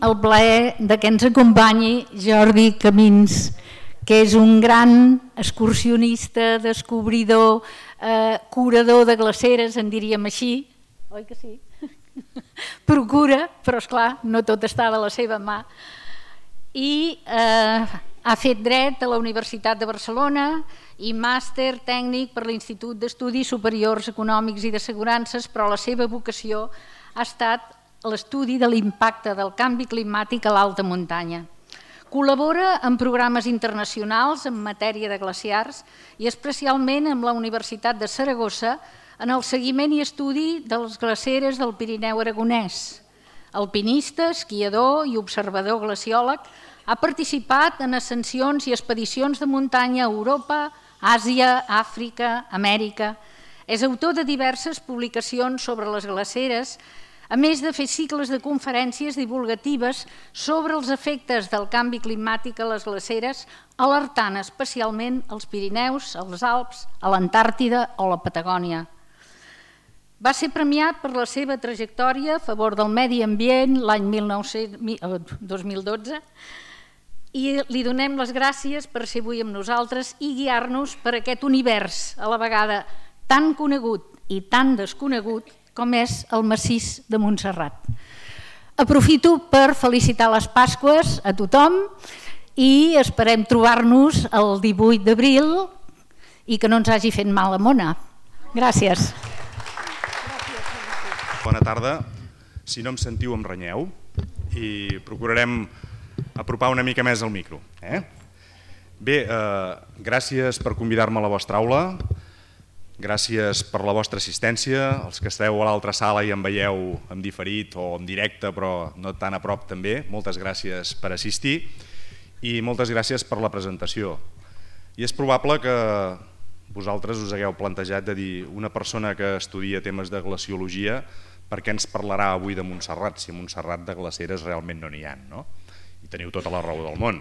el plaer que ens acompanyi Jordi Camins, que és un gran excursionista, descobridor, curador de glaceres, en diríem així, oi que sí? Procura, però esclar, no tot està de la seva mà. I ha fet dret a la Universitat de Barcelona i màster tècnic per l'Institut d'Estudis Superiors Econòmics i d'Assegurances, però la seva vocació ha estat l'estudi de l'impacte del canvi climàtic a l'alta muntanya. Col·labora en programes internacionals en matèria de glaciars i especialment amb la Universitat de Saragossa en el seguiment i estudi de les glaceres del Pirineu aragonès. Alpinista, esquiador i observador glaciòleg, ha participat en ascensions i expedicions de muntanya a Europa, Àsia, Àfrica, Amèrica. És autor de diverses publicacions sobre les glaceres, a més de fer cicles de conferències divulgatives sobre els efectes del canvi climàtic a les glaceres, alertant especialment als Pirineus, als Alps, a l'Antàrtida o la Patagònia. Va ser premiat per la seva trajectòria a favor del medi ambient l'any 2012 i li donem les gràcies per ser avui amb nosaltres i guiar-nos per aquest univers a la vegada tan conegut i tan desconegut com és el massís de Montserrat. Aprofito per felicitar les Pasqües a tothom i esperem trobar-nos el 18 d'abril i que no ens hagi fet mal a Mona. Gràcies. Bona tarda. Si no em sentiu, em renyeu i procurarem apropar una mica més el micro. Bé, gràcies per convidar-me a la vostra aula, gràcies per la vostra assistència, els que esteu a l'altra sala i em veieu en diferit o en directe però no tan a prop també, moltes gràcies per assistir i moltes gràcies per la presentació. I és probable que vosaltres us hagueu plantejat de dir una persona que estudia temes de glaciologia per què ens parlarà avui de Montserrat, si a Montserrat de glaceres realment no n'hi ha, no? I teniu tota la raó del món.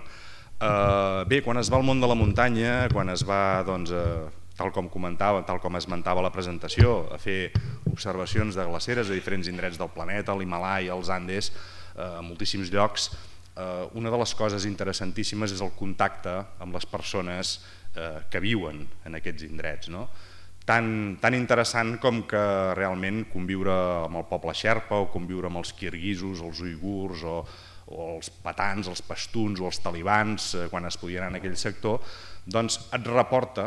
Bé, quan es va al món de la muntanya, quan es va, doncs, tal com comentava, tal com esmentava la presentació, a fer observacions de glaceres a diferents indrets del planeta, l'Himalaya, els Andes, a moltíssims llocs, una de les coses interessantíssimes és el contacte amb les persones que viuen en aquests indrets, no? Tan interessant com que realment conviure amb el poble xerpa o conviure amb els kirguisos, els uigurs o els patans, els pastuns o els talibans, quan es podien anar en aquell sector, doncs et reporta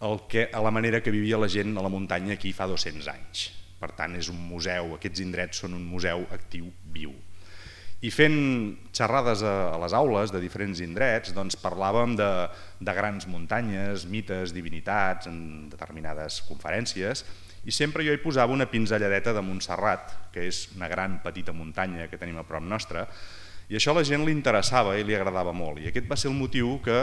a la manera que vivia la gent a la muntanya aquí fa 200 anys. Per tant, és un museu, aquests indrets són un museu actiu viu. I fent xerrades a les aules de diferents indrets, doncs parlàvem de grans muntanyes, mites, divinitats, en determinades conferències, i sempre jo hi posava una pinzelladeta de Montserrat, que és una gran petita muntanya que tenim a prop nostra, i això a la gent li interessava i li agradava molt. I aquest va ser el motiu que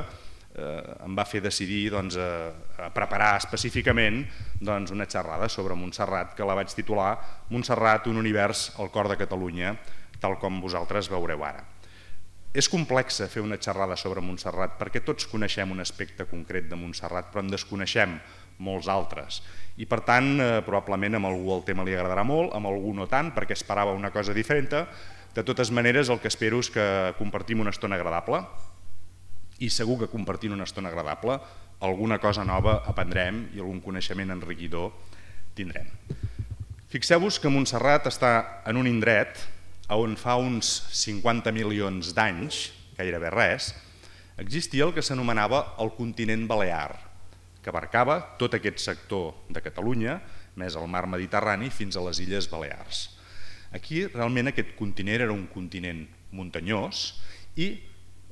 em va fer decidir a preparar específicament una xerrada sobre Montserrat, que la vaig titular Montserrat, un univers al cor de Catalunya, tal com vosaltres veureu ara. És complex fer una xerrada sobre Montserrat perquè tots coneixem un aspecte concret de Montserrat però en desconeixem molts altres i per tant probablement a algú el tema li agradarà molt, a algú no tant perquè esperava una cosa diferent. De totes maneres el que espero és que compartim una estona agradable i segur que compartint una estona agradable alguna cosa nova aprendrem i algun coneixement enriquidor tindrem. Fixeu-vos que Montserrat està en un indret on fa uns 50 milions d'anys, gairebé res, existia el que s'anomenava el continent balear, que abarcava tot aquest sector de Catalunya, més el mar Mediterrani, fins a les Illes Balears. Aquí realment aquest continent era un continent muntanyós i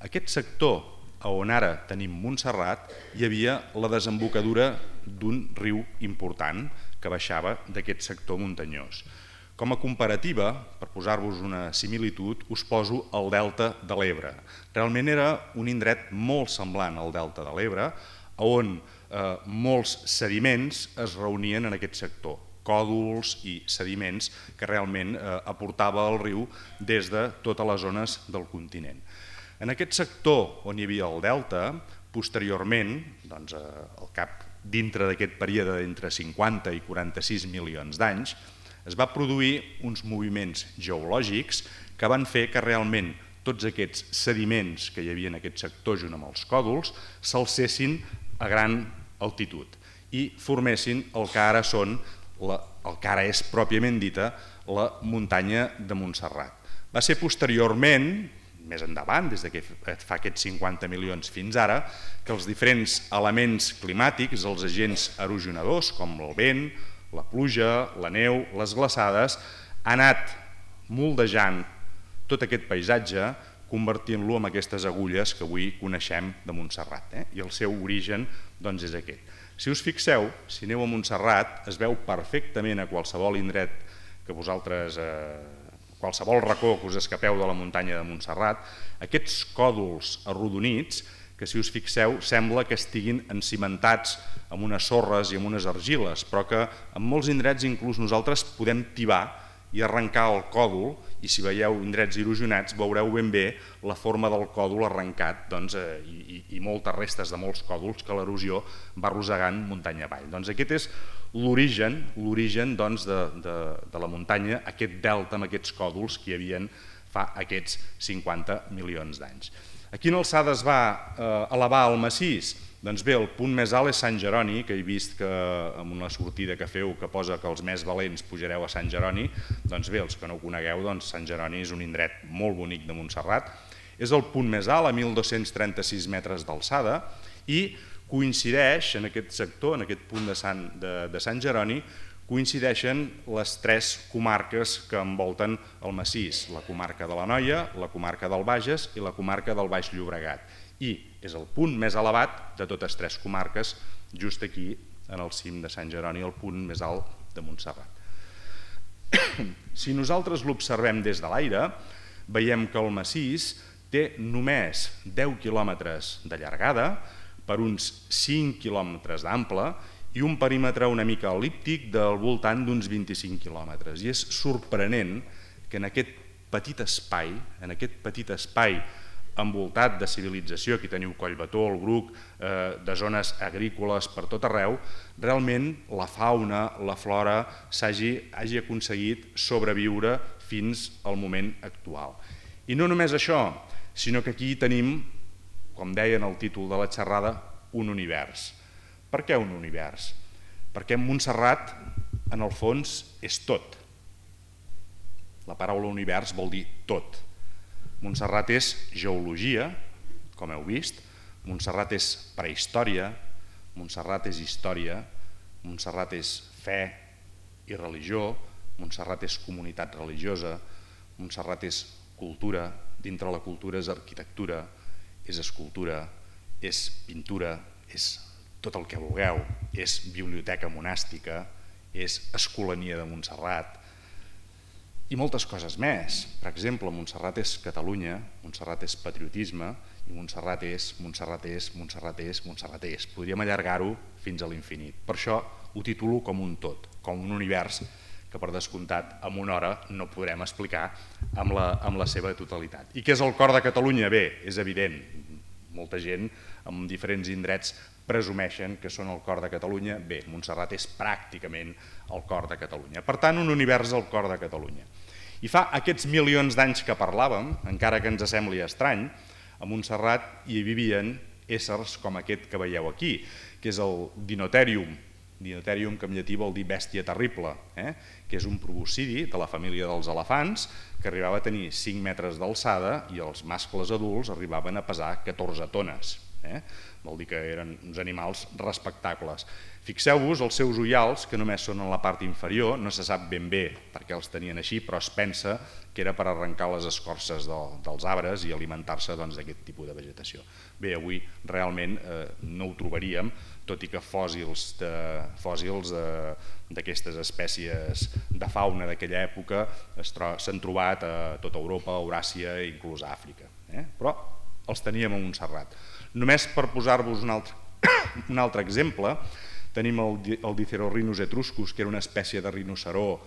aquest sector on ara tenim Montserrat hi havia la desembocadura d'un riu important que baixava d'aquest sector muntanyós. Com a comparativa, per posar-vos una similitud, us poso el delta de l'Ebre. Realment era un indret molt semblant al delta de l'Ebre, on molts sediments es reunien en aquest sector, còdols i sediments que realment aportava el riu des de totes les zones del continent. En aquest sector on hi havia el delta, posteriorment, al cap dintre d'aquest període d'entre 50 i 46 milions d'anys, es va produir uns moviments geològics que van fer que realment tots aquests sediments que hi havia en aquest sector junt amb els còdols s'alcessin a gran altitud i formessin el que ara és pròpiament dita la muntanya de Montserrat. Va ser posteriorment, més endavant, des que fa aquests 50 milions fins ara, que els diferents elements climàtics, els agents erosionadors, com el vent, la pluja, la neu, les glaçades, han anat moldejant tot aquest paisatge, convertint-lo en aquestes agulles que avui coneixem de Montserrat. I el seu origen és aquest. Si us fixeu, si aneu a Montserrat, es veu perfectament a qualsevol indret que vosaltres, qualsevol racó que us escapeu de la muntanya de Montserrat, aquests còdols arrodonits, que si us fixeu sembla que estiguin encimentats amb unes sorres i amb unes argiles, però que en molts indrets inclús nosaltres podem tibar i arrencar el còdol, i si veieu indrets erosionats veureu ben bé la forma del còdol arrencat i moltes restes de molts còdols que l'erosió va arrossegant muntanya avall. Aquest és l'origen de la muntanya, aquest delta amb aquests còdols que hi havia fa aquests 50 milions d'anys. A quina alçada es va elevar el massís? Doncs bé, el punt més alt és Sant Jeroni, que he vist que amb una sortida que feu que posa que els més valents pujareu a Sant Jeroni, doncs bé, els que no ho conegueu, Sant Jeroni és un indret molt bonic de Montserrat, és el punt més alt, a 1.236 metres d'alçada, i coincideix en aquest sector, en aquest punt de Sant Jeroni, coincideixen les tres comarques que envolten el massís, la comarca de l'Anoia, la comarca del Bages i la comarca del Baix Llobregat. I és el punt més elevat de totes tres comarques, just aquí, en el cim de Sant Jeroni, el punt més alt de Montserrat. Si nosaltres l'observem des de l'aire, veiem que el massís té només 10 quilòmetres de llargada per uns 5 quilòmetres d'ample i un perímetre una mica el·líptic del voltant d'uns 25 quilòmetres. I és sorprenent que en aquest petit espai envoltat de civilització, aquí teniu Collbató, el Bruc, de zones agrícoles per tot arreu, realment la fauna, la flora hagi aconseguit sobreviure fins al moment actual. I no només això, sinó que aquí tenim, com deia en el títol de la xerrada, un univers. Per què un univers? Perquè Montserrat, en el fons, és tot. La paraula univers vol dir tot. Montserrat és geologia, com heu vist, Montserrat és prehistòria, Montserrat és història, Montserrat és fe i religió, Montserrat és comunitat religiosa, Montserrat és cultura, dintre la cultura és arquitectura, és escultura, és pintura, és tot el que vulgueu, és biblioteca monàstica, és escolania de Montserrat, i moltes coses més. Per exemple, Montserrat és Catalunya, Montserrat és patriotisme, i Montserrat és. Podríem allargar-ho fins a l'infinit. Per això ho titulo com un tot, com un univers que per descomptat en una hora no podrem explicar amb la seva totalitat. I què és el cor de Catalunya? Bé, és evident, molta gent en diferents indrets presumeixen que són el cor de Catalunya. Bé, Montserrat és pràcticament el cor de Catalunya. Per tant, un univers al cor de Catalunya. I fa aquests milions d'anys que parlàvem, encara que ens sembli estrany, a Montserrat hi vivien éssers com aquest que veieu aquí, que és el Dinotherium. Dinotherium, que en llatí vol dir bèstia terrible, que és un proboscidi de la família dels elefants, que arribava a tenir 5 metres d'alçada i els mascles adults arribaven a pesar 14 tones. Vol dir que eren uns animals respectables. Fixeu-vos els seus ullals, que només són en la part inferior, no se sap ben bé per què els tenien així, però es pensa que era per arrencar les escorces dels arbres i alimentar-se d'aquest tipus de vegetació. Bé, avui realment no ho trobaríem, tot i que fòssils d'aquestes espècies de fauna d'aquella època s'han trobat a tota Europa, Euràsia i inclús a Àfrica. Però els teníem a Montserrat. Només per posar-vos un altre exemple, tenim el Dicerorhinus etruscus, que era una espècie de rinoceró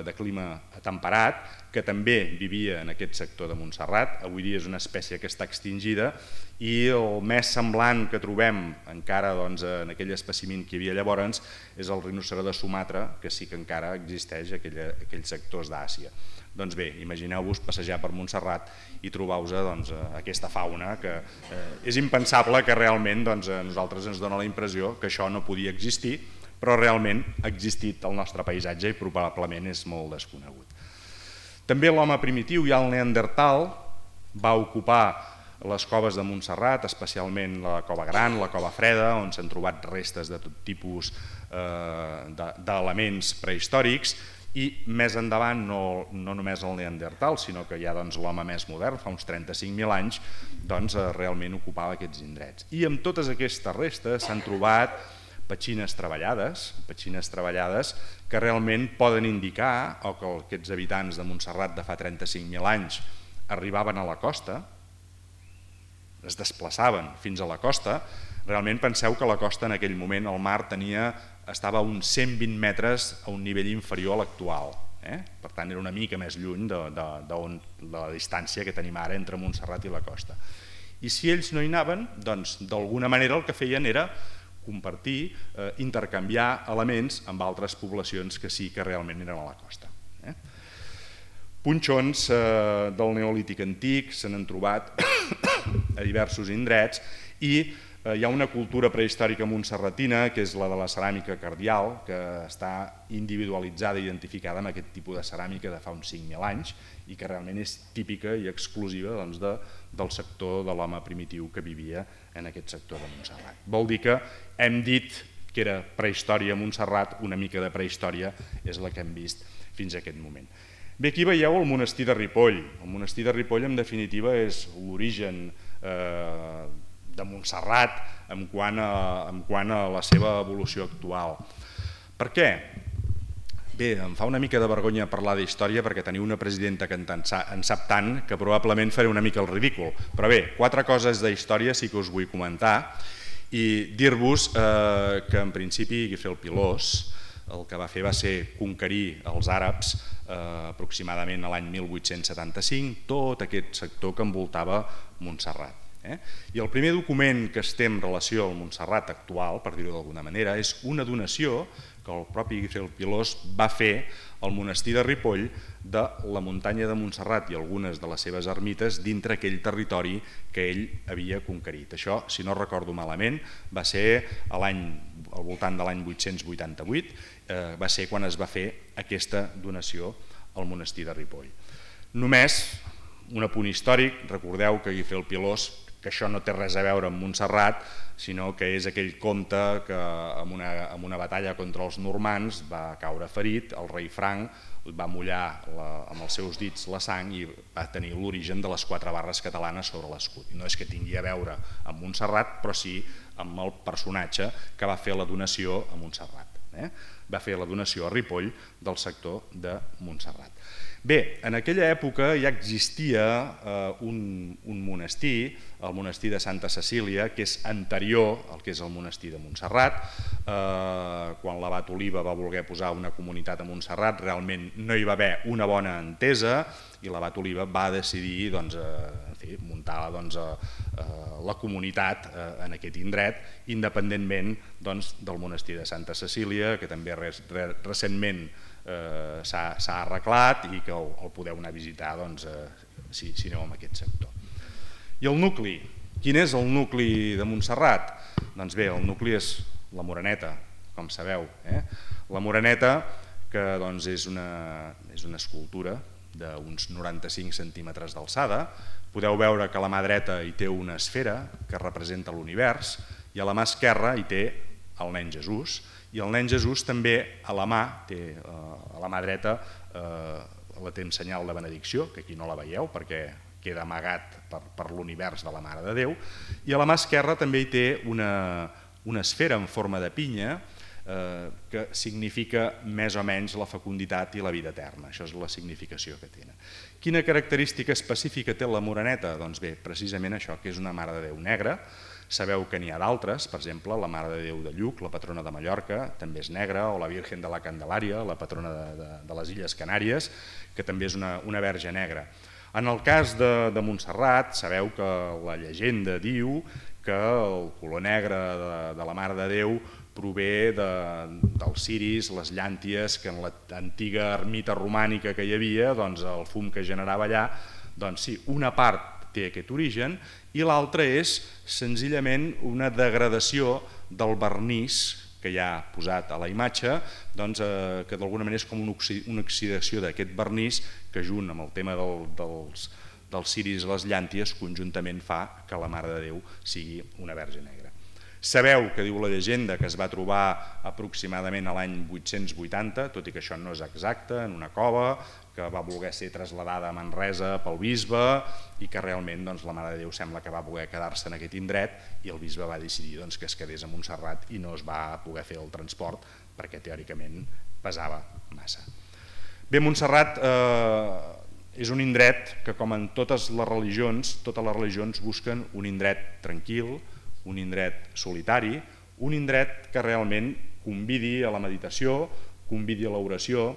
de clima temperat, que també vivia en aquest sector de Montserrat. Avui dia és una espècie que està extingida i el més semblant que trobem encara en aquell espècimen que hi havia llavors és el rinoceró de Sumatra, que sí que encara existeix a aquells sectors d'Àsia. Doncs bé, imagineu-vos passejar per Montserrat i trobar-vos aquesta fauna que és impensable que realment a nosaltres ens dona la impressió que això no podia existir, però realment ha existit al nostre paisatge i probablement és molt desconegut. També l'home primitiu, ja el Neandertal, va ocupar les coves de Montserrat, especialment la Cova Gran, la Cova Freda, on s'han trobat restes de tot tipus d'elements prehistòrics, i més endavant, no només el Neandertal, sinó que ja l'home més modern, fa uns 35.000 anys, realment ocupava aquests indrets. I amb totes aquestes restes s'han trobat petxines treballades que realment poden indicar o que aquests habitants de Montserrat de fa 35.000 anys arribaven a la costa, es desplaçaven fins a la costa. Realment penseu que la costa en aquell moment, el mar estava a uns 120 metres a un nivell inferior a l'actual. Per tant era una mica més lluny de la distància que tenim ara entre Montserrat i la costa. I si ells no hi anaven, doncs d'alguna manera el que feien era compartir, intercanviar elements amb altres poblacions que sí que realment eren a la costa. Punxons del Neolític antic se n'han trobat a diversos indrets i hi ha una cultura prehistòrica montserratina, que és la de la ceràmica cardial, que està individualitzada i identificada amb aquest tipus de ceràmica de fa uns 5.000 anys i que realment és típica i exclusiva del sector de l'home primitiu que vivia en aquest sector de Montserrat. Vol dir que hem dit que era prehistòria a Montserrat, una mica de prehistòria és la que hem vist fins a aquest moment. Bé, aquí veieu el monestir de Ripoll. El monestir de Ripoll, en definitiva, és l'origen de Montserrat en quant a la seva evolució actual. Per què? Bé, em fa una mica de vergonya parlar d'història perquè teniu una presidenta que en sap tant que probablement faré una mica el ridícul. Però bé, 4 coses d'història sí que us vull comentar i dir-vos que en principi Guifré el Pilós el que va fer va ser conquerir els àrabs aproximadament a l'any 1875, tot aquest sector que envoltava Montserrat. I el primer document que es té en relació al Montserrat actual, per dir-ho d'alguna manera, és una donació que el propi Guifré el Pilós va fer al monestir de Ripoll de la muntanya de Montserrat i algunes de les seves ermites dintre aquell territori que ell havia conquerit. Això, si no recordo malament, va ser al voltant de l'any 888, va ser quan es va fer aquesta donació al monestir de Ripoll. Només un apunt històric, recordeu que Guifré el Pilós, que això no té res a veure amb Montserrat, sinó que és aquell comte que en una batalla contra els normands va caure ferit, el rei Franc va mullar amb els seus dits la sang i va tenir l'origen de les 4 barres catalanes sobre l'escut. No és que tingui a veure amb Montserrat, però sí amb el personatge que va fer la donació a Montserrat. Va fer la donació a Ripoll del sector de Montserrat. Bé, en aquella època ja existia un monestir, el monestir de Santa Cecília, que és anterior al que és el monestir de Montserrat. Quan l'abat Oliva va voler posar una comunitat a Montserrat, realment no hi va haver una bona entesa i l'abat Oliva va decidir muntar la comunitat en aquest indret, independentment del monestir de Santa Cecília, que també recentment s'ha arreglat i que el podeu anar a visitar si aneu en aquest sector. I el nucli, quin és el nucli de Montserrat? Doncs bé, el nucli és la Moreneta, com sabeu. La Moreneta, que és una escultura d'uns 95 centímetres d'alçada. Podeu veure que a la mà dreta hi té una esfera que representa l'univers i a la mà esquerra hi té el nen Jesús, i el nen Jesús també a la mà dreta la té en senyal de benedicció, que aquí no la veieu perquè queda amagat per l'univers de la Mare de Déu, i a la mà esquerra també hi té una esfera en forma de pinya que significa més o menys la fecunditat i la vida eterna. Això és la significació que tenen. Quina característica específica té la Moreneta? Doncs bé, precisament això, que és una Mare de Déu negra. Sabeu que n'hi ha d'altres, per exemple, la Mare de Déu de Lluc, la patrona de Mallorca, també és negra, o la Virgen de la Candelària, la patrona de les Illes Canàries, que també és una verge negra. En el cas de Montserrat, sabeu que la llegenda diu que el color negre de la Mare de Déu prové dels ciris, les llànties, que en l'antiga ermita romànica que hi havia, el fum que generava allà, doncs sí, una part té aquest origen i l'altra és senzillament una degradació del vernís que hi ha posat a la imatge, que d'alguna manera és com una oxidació d'aquest vernís que junt amb el tema dels ciris i les llànties conjuntament fa que la Mare de Déu sigui una Verge Negra. Sabeu que diu la llegenda que es va trobar aproximadament a l'any 880, tot i que això no és exacte, en una cova que va voler ser traslladada a Manresa pel bisbe i que realment la Mare de Déu sembla que va voler quedar-se en aquest indret i el bisbe va decidir que es quedés a Montserrat i no es va poder fer el transport perquè teòricament pesava massa. Bé, Montserrat és un indret que, com en totes les religions busquen un indret tranquil, un indret solitari, un indret que realment convidi a la meditació, convidi a l'oració,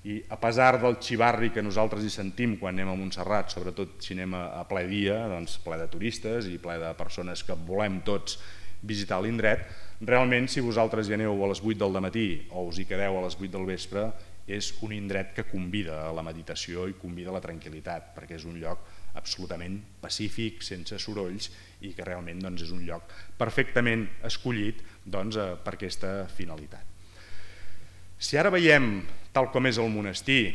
i a pesar del xivarri que nosaltres hi sentim quan anem a Montserrat, sobretot si anem a ple dia, ple de turistes i ple de persones que volem tots visitar l'indret, realment si vosaltres hi aneu a les 8 del matí o us hi quedeu a les 8 del vespre, és un indret que convida a la meditació i convida a la tranquil·litat, perquè és un lloc absolutament pacífic, sense sorolls, i que realment és un lloc perfectament escollit per aquesta finalitat. Si ara veiem tal com és el monestir,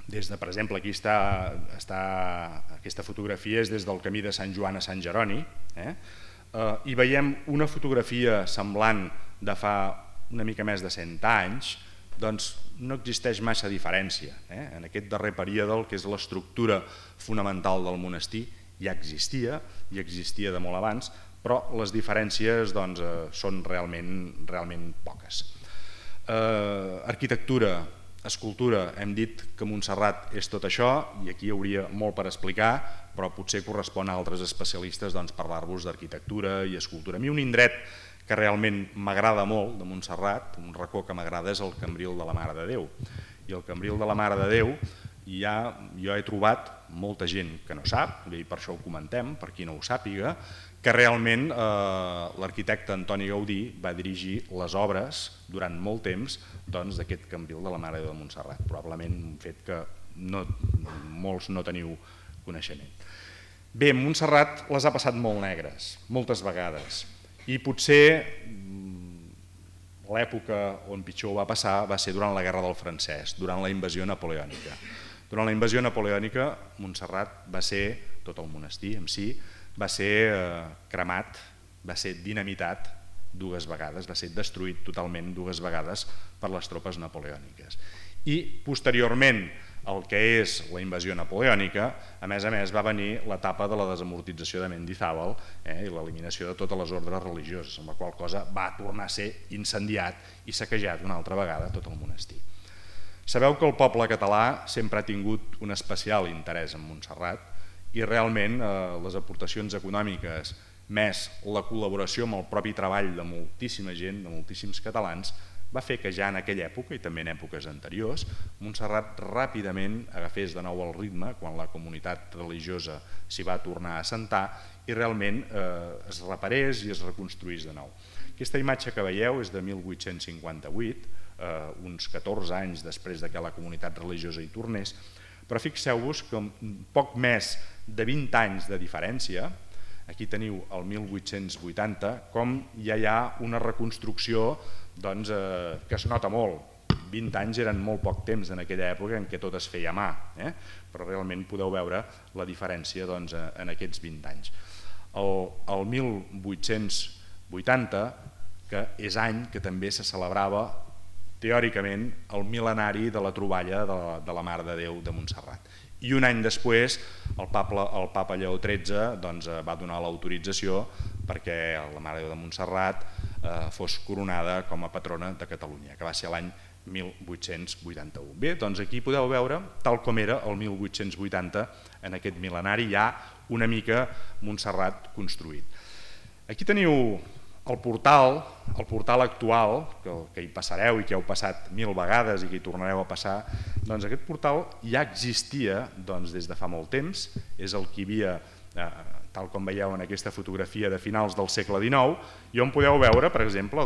des de, per exemple, aquí aquesta fotografia és des del camí de Sant Joan a Sant Jeroni, i veiem una fotografia semblant de fa una mica més de 100 anys, doncs no existeix massa diferència. En aquest darrer període, el que és l'estructura fonamental del monestir ja existia, i existia de molt abans, però les diferències són realment poques. Arquitectura, escultura, hem dit que Montserrat és tot això, i aquí hi hauria molt per explicar, però potser correspon a altres especialistes parlar-vos d'arquitectura i escultura. A mi un indret que realment m'agrada molt de Montserrat, un racó que m'agrada, és el Cambril de la Mare de Déu. I el Cambril de la Mare de Déu jo he trobat molta gent que no sap, i per això ho comentem, per qui no ho sàpiga, que realment l'arquitecte Antoni Gaudí va dirigir les obres durant molt temps d'aquest Cambril de la Mare de Déu de Montserrat, probablement un fet que molts no teniu coneixement. Bé, Montserrat les ha passat molt negres, moltes vegades, i potser l'època on pitjor ho va passar va ser durant la Guerra del Francès, durant la invasió napoleònica. Durant la invasió napoleònica, Montserrat va ser, tot el monestir en si, va ser cremat, va ser dinamitat dues vegades, va ser destruït totalment dues vegades per les tropes napoleòniques. I posteriorment el que és la invasió napoleònica, a més va venir l'etapa de la desamortització de Mendizábal i l'eliminació de totes les ordres religioses, amb la qual cosa va tornar a ser incendiat i saquejat una altra vegada tot el monestir. Sabeu que el poble català sempre ha tingut un especial interès en Montserrat i realment les aportacions econòmiques més la col·laboració amb el propi treball de moltíssima gent, de moltíssims catalans, va fer que ja en aquella època i també en èpoques anteriors Montserrat ràpidament agafés de nou el ritme quan la comunitat religiosa s'hi va tornar a assentar i realment es reparés i es reconstruís de nou. Aquesta imatge que veieu és de 1858, uns 14 anys després que la comunitat religiosa hi tornés, però fixeu-vos que amb poc més de 20 anys de diferència, aquí teniu el 1880, com ja hi ha una reconstrucció que es nota molt. 20 anys eren molt poc temps en aquella època en què tot es feia a mà, però realment podeu veure la diferència en aquests 20 anys. El 1880, que és any que també se celebrava teòricament el mil·lenari de la troballa de la Mare de Déu de Montserrat. I un any després el papa Lleó XIII va donar l'autorització perquè la Mare de Déu de Montserrat fos coronada com a patrona de Catalunya, que va ser l'any 1881. Bé, doncs aquí podeu veure, tal com era el 1880, en aquest mil·lenari ja una mica Montserrat construït. Aquí teniu el portal actual, que hi passareu i que heu passat 1000 vegades i que hi tornareu a passar, doncs aquest portal ja existia des de fa molt temps, és el que hi havia tal com veieu en aquesta fotografia de finals del segle XIX, i on podeu veure, per exemple,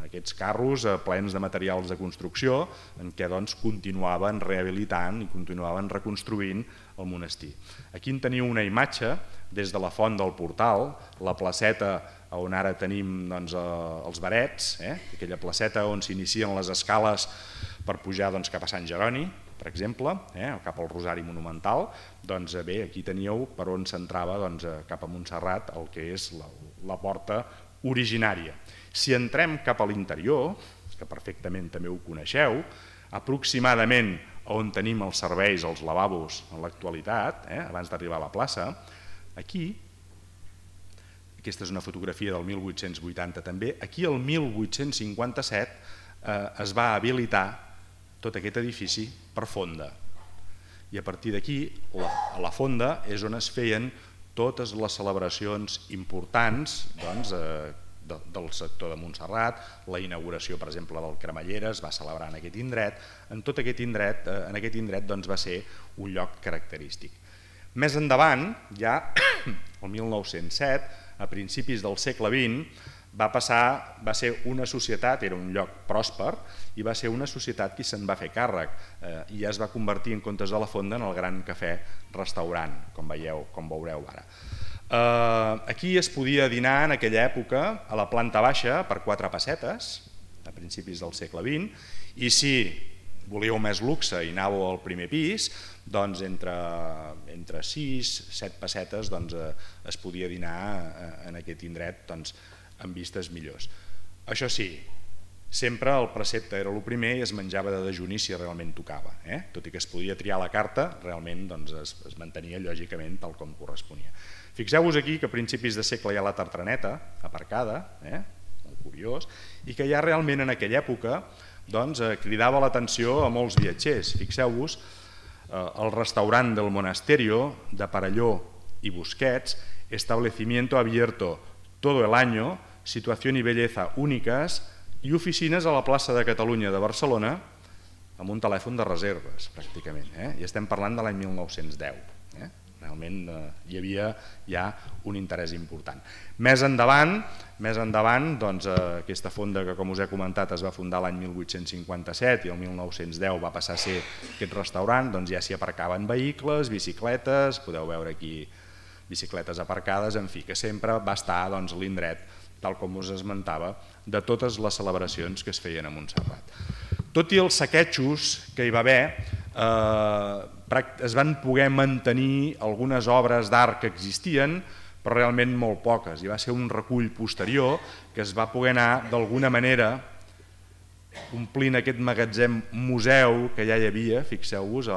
aquests carros plens de materials de construcció en què continuaven rehabilitant i continuaven reconstruint el monestir. Aquí en teniu una imatge des de la font del Portal, la placeta on ara tenim els Barets, aquella placeta on s'inicien les escales per pujar cap a Sant Jeroni, per exemple, cap al Rosari Monumental. Doncs bé, aquí teníeu per on s'entrava cap a Montserrat el que és la porta originària. Si entrem cap a l'interior, que perfectament també ho coneixeu, aproximadament on tenim els serveis, els lavabos en l'actualitat, abans d'arribar a la plaça, aquí, aquesta és una fotografia del 1880 també, aquí el 1857 es va habilitar tot aquest edifici per fonda. I a partir d'aquí, a la fonda, és on es feien totes les celebracions importants del sector de Montserrat. La inauguració, per exemple, del Cremallera es va celebrar en aquest indret. En aquest indret va ser un lloc característic. Més endavant, ja el 1907, a principis del segle XX, va ser una societat, era un lloc pròsper, i va ser una societat qui se'n va fer càrrec i ja es va convertir, en comptes de la fonda, en el gran cafè-restaurant, com veureu ara. Aquí es podia dinar en aquella època a la planta baixa per 4 pessetes, a principis del segle XX, i si volíeu més luxe i anàveu al primer pis, doncs entre 6-7 pessetes es podia dinar en aquest indret amb vistes millors. Això sí, sempre el precepte era el primer i es menjava de dejuni si realment tocava. Tot i que es podia triar la carta, realment es mantenia lògicament tal com corresponia. Fixeu-vos aquí que a principis de segle hi ha la tartraneta aparcada, molt curiós, i que ja realment en aquella època cridava l'atenció a molts viatgers. Fixeu-vos, el restaurant del Monasterio de Parelló i Busquets, establecimiento abierto todo el año, situación y belleza únicas, i oficines a la plaça de Catalunya de Barcelona amb un telèfon de reserves, pràcticament. I estem parlant de l'any 1910. Realment hi havia ja un interès important. Més endavant, aquesta fonda que, com us he comentat, es va fundar l'any 1857 i el 1910 va passar a ser aquest restaurant, ja s'hi aparcaven vehicles, bicicletes, podeu veure aquí bicicletes aparcades, en fi, que sempre va estar l'indret, tal com us esmentava, de totes les celebracions que es feien a Montserrat. Tot i els saquejos que hi va haver, es van poder mantenir algunes obres d'art que existien, però realment molt poques. Hi va ser un recull posterior que es va poder anar d'alguna manera omplint aquest magatzem museu que ja hi havia, fixeu-vos,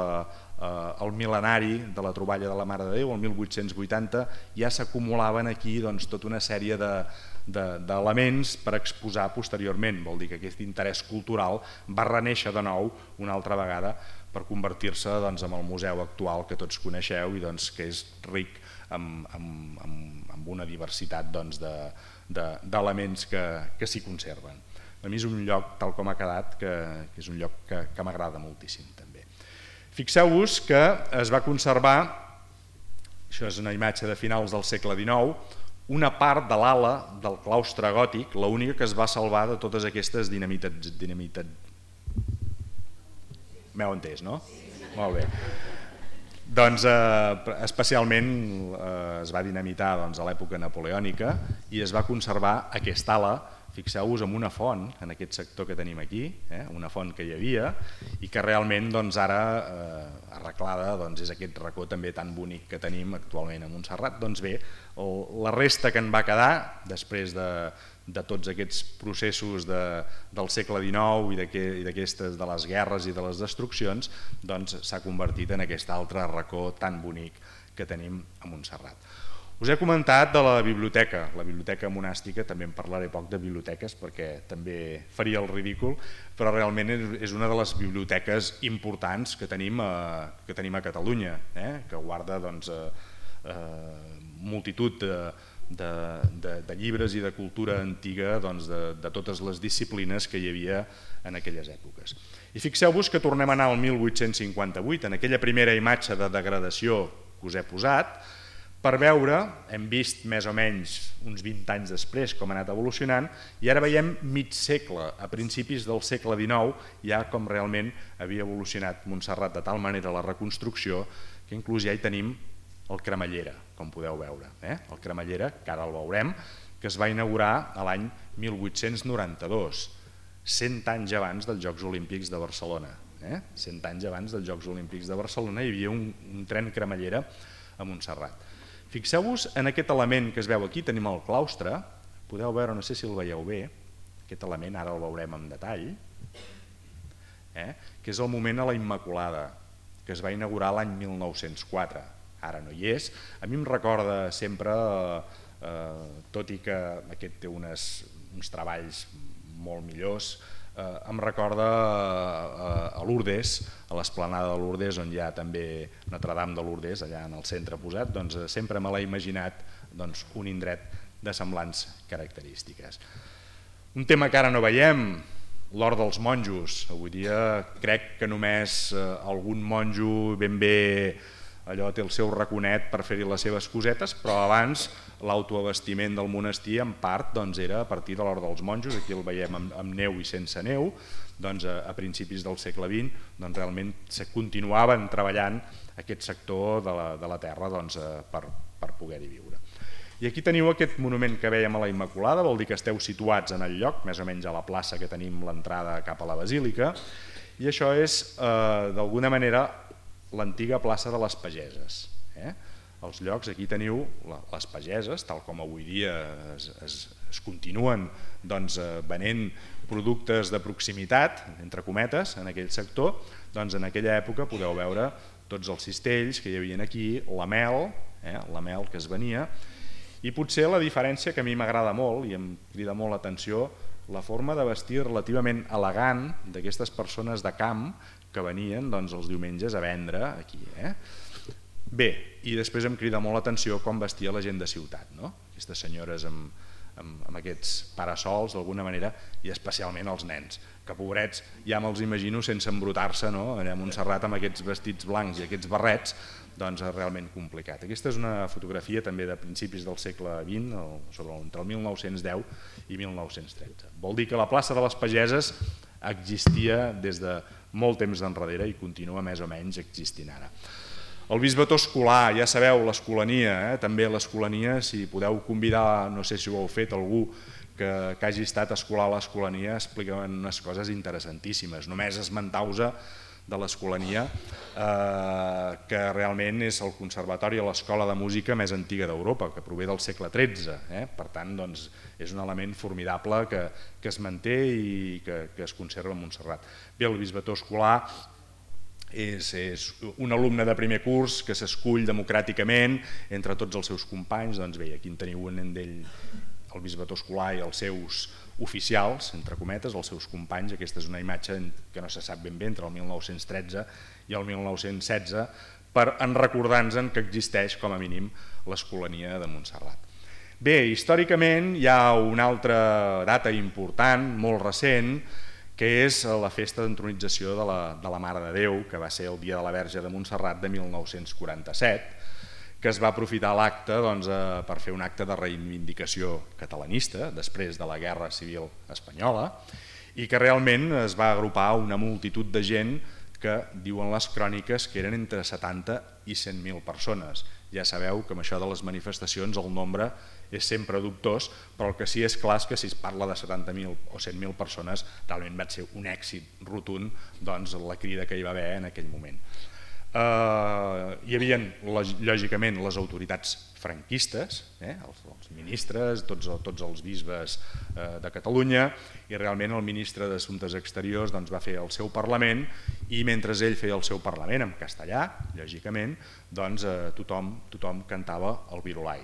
el mil·lenari de la troballa de la Mare de Déu, el 1880, ja s'acumulaven aquí tota una sèrie d'elements per exposar posteriorment. Vol dir que aquest interès cultural va renéixer de nou una altra vegada per convertir-se en el museu actual que tots coneixeu i que és ric amb una diversitat d'elements que s'hi conserven. A mi és un lloc, tal com ha quedat, que és un lloc que m'agrada moltíssim també. Fixeu-vos que es va conservar, això és una imatge de finals del segle XIX, una part de l'ala del claustre gòtic, l'única que es va salvar de totes aquestes dinamitats. M'heu entès, no? Molt bé. Doncs especialment es va dinamitar a l'època napoleònica i es va conservar aquesta ala, fixeu-vos, amb una font, en aquest sector que tenim aquí, una font que hi havia i que realment ara arreglada és aquest racó també tan bonic que tenim actualment a Montserrat. Doncs bé, la resta que en va quedar després de tots aquests processos del segle XIX i de les guerres i de les destruccions, s'ha convertit en aquest altre racó tan bonic que tenim a Montserrat. Us he comentat de la biblioteca monàstica, també en parlaré poc de biblioteques perquè també faria el ridícul, però realment és una de les biblioteques importants que tenim a Catalunya, que guarda multitud de llibres i de cultura antiga de totes les disciplines que hi havia en aquelles èpoques. I fixeu-vos que tornem a anar al 1858, en aquella primera imatge de degradació que us he posat, per veure, hem vist més o menys uns 20 anys després com ha anat evolucionant, i ara veiem mig segle, a principis del segle XIX, ja com realment havia evolucionat Montserrat de tal manera la reconstrucció que inclús ja hi tenim el Cremallera, com podeu veure. El Cremallera, que ara el veurem, que es va inaugurar l'any 1892, 100 anys abans dels Jocs Olímpics de Barcelona. 100 anys abans dels Jocs Olímpics de Barcelona hi havia un tren cremallera a Montserrat. Fixeu-vos en aquest element que es veu aquí, tenim el claustre, podeu veure, no sé si el veieu bé, aquest element ara el veurem en detall, que és el moment a la Immaculada, que es va inaugurar l'any 1904, ara no hi és. A mi em recorda sempre, tot i que aquest té uns treballs molt millors, em recorda a Lourdes, a l'esplanada de Lourdes, on hi ha també Notre-Dame de Lourdes, allà en el centre posat, doncs sempre me l'he imaginat un indret de semblants característiques. Un tema que ara no veiem, l'Hort dels Monjos. Avui dia crec que només algun monjo ben bé allò té el seu raconet per fer-hi les seves cosetes, però abans l'autoabastiment del monestir en part era a partir de l'Hort dels Monjos, aquí el veiem amb neu i sense neu, a principis del segle XX realment se continuaven treballant aquest sector de la terra per poder-hi viure. I aquí teniu aquest monument que veiem a la Immaculada, vol dir que esteu situats en el lloc, més o menys a la plaça que tenim l'entrada cap a la Basílica, i això és d'alguna manera l'antiga plaça de les Pageses. Els llocs, aquí teniu les pageses, tal com avui dia es continuen venent productes de proximitat, entre cometes, en aquell sector, en aquella època podeu veure tots els cistells que hi havia aquí, la mel que es venia, i potser la diferència que a mi m'agrada molt i em crida molt l'atenció, la forma de vestir relativament elegant d'aquestes persones de camp que venien els diumenges a vendre aquí. Bé, i després em crida molt l'atenció com vestia la gent de ciutat, aquestes senyores amb aquests parasols d'alguna manera, i especialment els nens, que pobrets ja me'ls imagino sense embrutar-se allà a Montserrat amb aquests vestits blancs i aquests barrets, és realment complicat. Aquesta és una fotografia també de principis del segle XX, entre el 1910 i 1913. Vol dir que la plaça de les Pageses existia des de molt temps d'enrere i continua més o menys existint ara. El bisbató escolar, ja sabeu, l'escolania, també l'escolania, si podeu convidar, no sé si ho heu fet, algú que hagi estat escolar a l'escolania, expliquen unes coses interessantíssimes. Només esmentar-vos de l'escolania, que realment és el conservatori o l'escola de música més antiga d'Europa, que prové del segle XIII. Per tant, és un element formidable que es manté i que es conserva a Montserrat. Bé, el bisbató escolar és un alumne de primer curs que s'escull democràticament entre tots els seus companys. Doncs bé, aquí en teniu un d'ell, el bisbató escolar i els seus oficials, entre cometes, els seus companys. Aquesta és una imatge que no se sap ben bé entre el 1913 i el 1916, per recordar-nos que existeix com a mínim l'escolania de Montserrat. Bé, històricament hi ha una altra data important, molt recent, que és la festa d'entronització de la Mare de Déu, que va ser el Dia de la Verge de Montserrat de 1947, que es va aprofitar l'acte per fer un acte de reivindicació catalanista després de la Guerra Civil Espanyola, i que realment es va agrupar una multitud de gent que diuen les cròniques que eren entre 70 i 100.000 persones. Ja sabeu que amb això de les manifestacions el nombre és sempre dubtós, però el que sí és clar és que si es parla de 70.000 o 100.000 persones realment va ser un èxit rotund la crida que hi va haver en aquell moment. Hi havia lògicament les autoritats franquistes, els ministres, tots els bisbes de Catalunya, i realment el ministre d'Assumptes Exteriors va fer el seu Parlament, i mentre ell feia el seu Parlament en castellà, lògicament, tothom cantava el Virolai.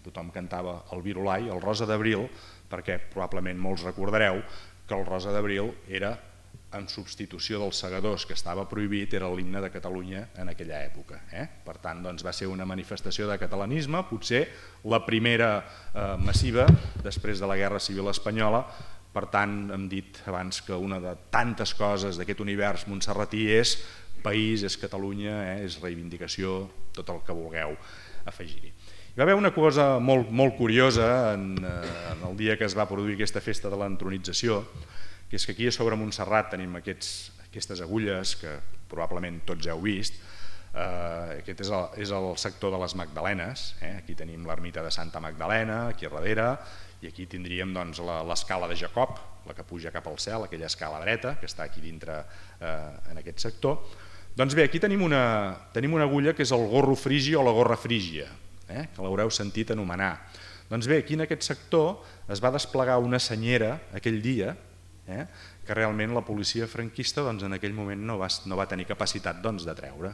Tothom cantava el Virolai, el Rosa d'Abril, perquè probablement molts recordareu que el Rosa d'Abril era en substitució dels segadors, que estava prohibit, era l'himne de Catalunya en aquella època. Per tant, va ser una manifestació de catalanisme, potser la primera massiva després de la Guerra Civil Espanyola. Per tant, hem dit abans que una de tantes coses d'aquest univers montserratí és país, és Catalunya, és reivindicació, tot el que vulgueu afegir-hi. Hi va haver una cosa molt curiosa en el dia que es va produir aquesta festa de l'entronització, que és que aquí a sobre Montserrat tenim aquestes agulles que probablement tots heu vist. Aquest és el sector de les Magdalenes, aquí tenim l'ermita de Santa Magdalena, aquí a darrere, i aquí tindríem l'escala de Jacob, la que puja cap al cel, aquella escala dreta que està aquí dintre en aquest sector. Doncs bé, aquí tenim una agulla que és el gorro frigi o la gorra frígia, que l'haureu sentit anomenar. Doncs bé, aquí en aquest sector es va desplegar una senyera aquell dia, que realment la policia franquista en aquell moment no va tenir capacitat de treure.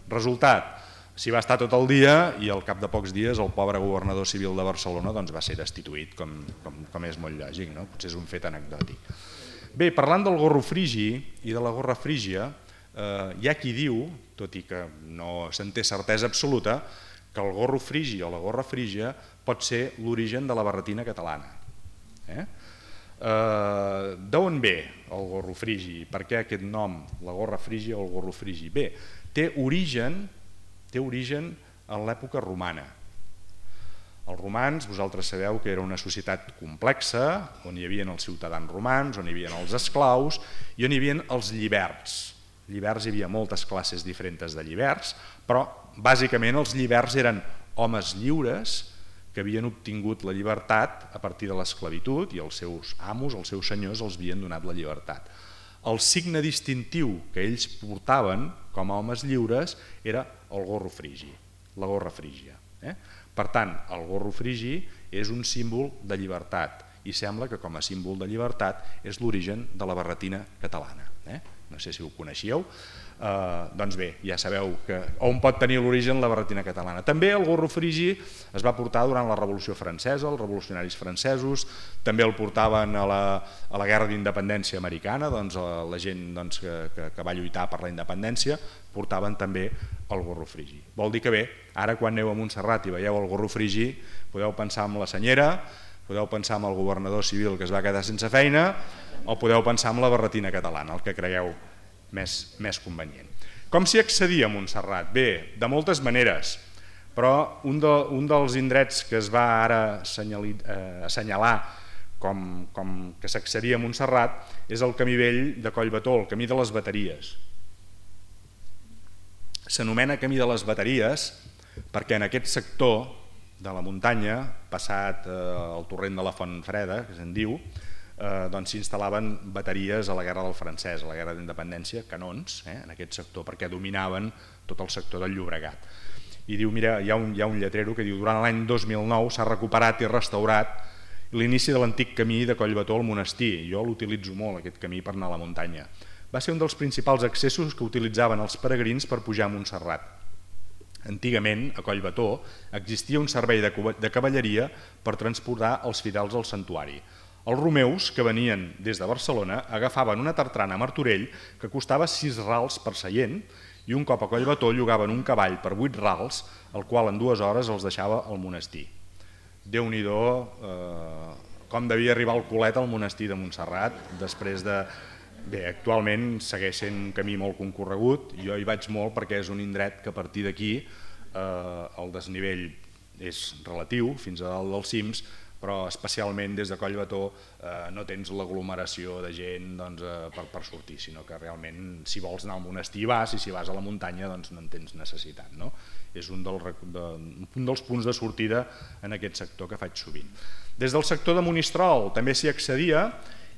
Resultat, s'hi va estar tot el dia i al cap de pocs dies el pobre governador civil de Barcelona va ser destituït, com és molt lògic, potser és un fet anecdòtic. Bé, parlant del gorro frigi i de la gorra frígia, hi ha qui diu, tot i que no se'n té certesa absoluta, que el gorro frigi o la gorra frígia pot ser l'origen de la barretina catalana. D'on ve el gorro frigi? Per què aquest nom, la gorra frígia o el gorro frigi? Bé, té origen en l'època romana. Els romans, vosaltres sabeu que era una societat complexa, on hi havia els ciutadans romans, on hi havia els esclaus i on hi havia els lliberts. Lliberts, hi havia moltes classes diferents de lliberts, però bàsicament els lliberts eren homes lliures que havien obtingut la llibertat a partir de l'esclavitud i els seus amos, els seus senyors, els havien donat la llibertat. El signe distintiu que ells portaven com a homes lliures era el gorro frigi, la gorra frígia. Per tant, el gorro frigi és un símbol de llibertat i sembla que com a símbol de llibertat és l'origen de la barretina catalana. No sé si ho coneixíeu. Doncs bé, ja sabeu on pot tenir l'origen la barretina catalana. També el gorro frigi es va portar durant la Revolució Francesa, els revolucionaris francesos, també el portaven a la Guerra d'Independència americana, la gent que va lluitar per la independència portaven també el gorro frigi. Vol dir que bé, ara quan aneu a Montserrat i veieu el gorro frigi, podeu pensar en la senyera, podeu pensar en el governador civil que es va quedar sense feina o podeu pensar en la barretina catalana, el que cregueu més convenient. Com s'hi accedia a Montserrat? Bé, de moltes maneres, però un dels indrets que es va ara assenyalar com que s'accedia a Montserrat és el camí vell de Collbató, el camí de les Bateries. S'anomena camí de les Bateries perquè en aquest sector de la muntanya, passat el torrent de la Font Freda, que se'n diu, s'instal·laven bateries a la Guerra del Francès, a la Guerra d'Independència, canons, en aquest sector, perquè dominaven tot el sector del Llobregat. I diu, mira, hi ha un lletrero que diu durant l'any 2009 s'ha recuperat i restaurat l'inici de l'antic camí de Collbató al monestir. Jo l'utilitzo molt, aquest camí, per anar a la muntanya. Va ser un dels principals accessos que utilitzaven els peregrins per pujar a Montserrat. Antigament, a Collbató, existia un servei de cavalleria per transportar els fidels al santuari. Els romeus, que venien des de Barcelona, agafaven una tartrana a Martorell que costava 6 rals per seient i un cop a Collbató llogaven un cavall per 8 rals, el qual en 2 hores els deixava al monestir. Déu-n'hi-do com devia arribar el culet al monestir de Montserrat després de... Bé, actualment segueix sent un camí molt concorregut, jo hi vaig molt perquè és un indret que a partir d'aquí el desnivell és relatiu fins a dalt dels cims, però especialment des de Collbató no tens l'aglomeració de gent per sortir, sinó que realment si vols anar al monestir vas i si vas a la muntanya no en tens necessitat. És un dels punts de sortida en aquest sector que faig sovint. Des del sector de Monistrol també s'hi accedia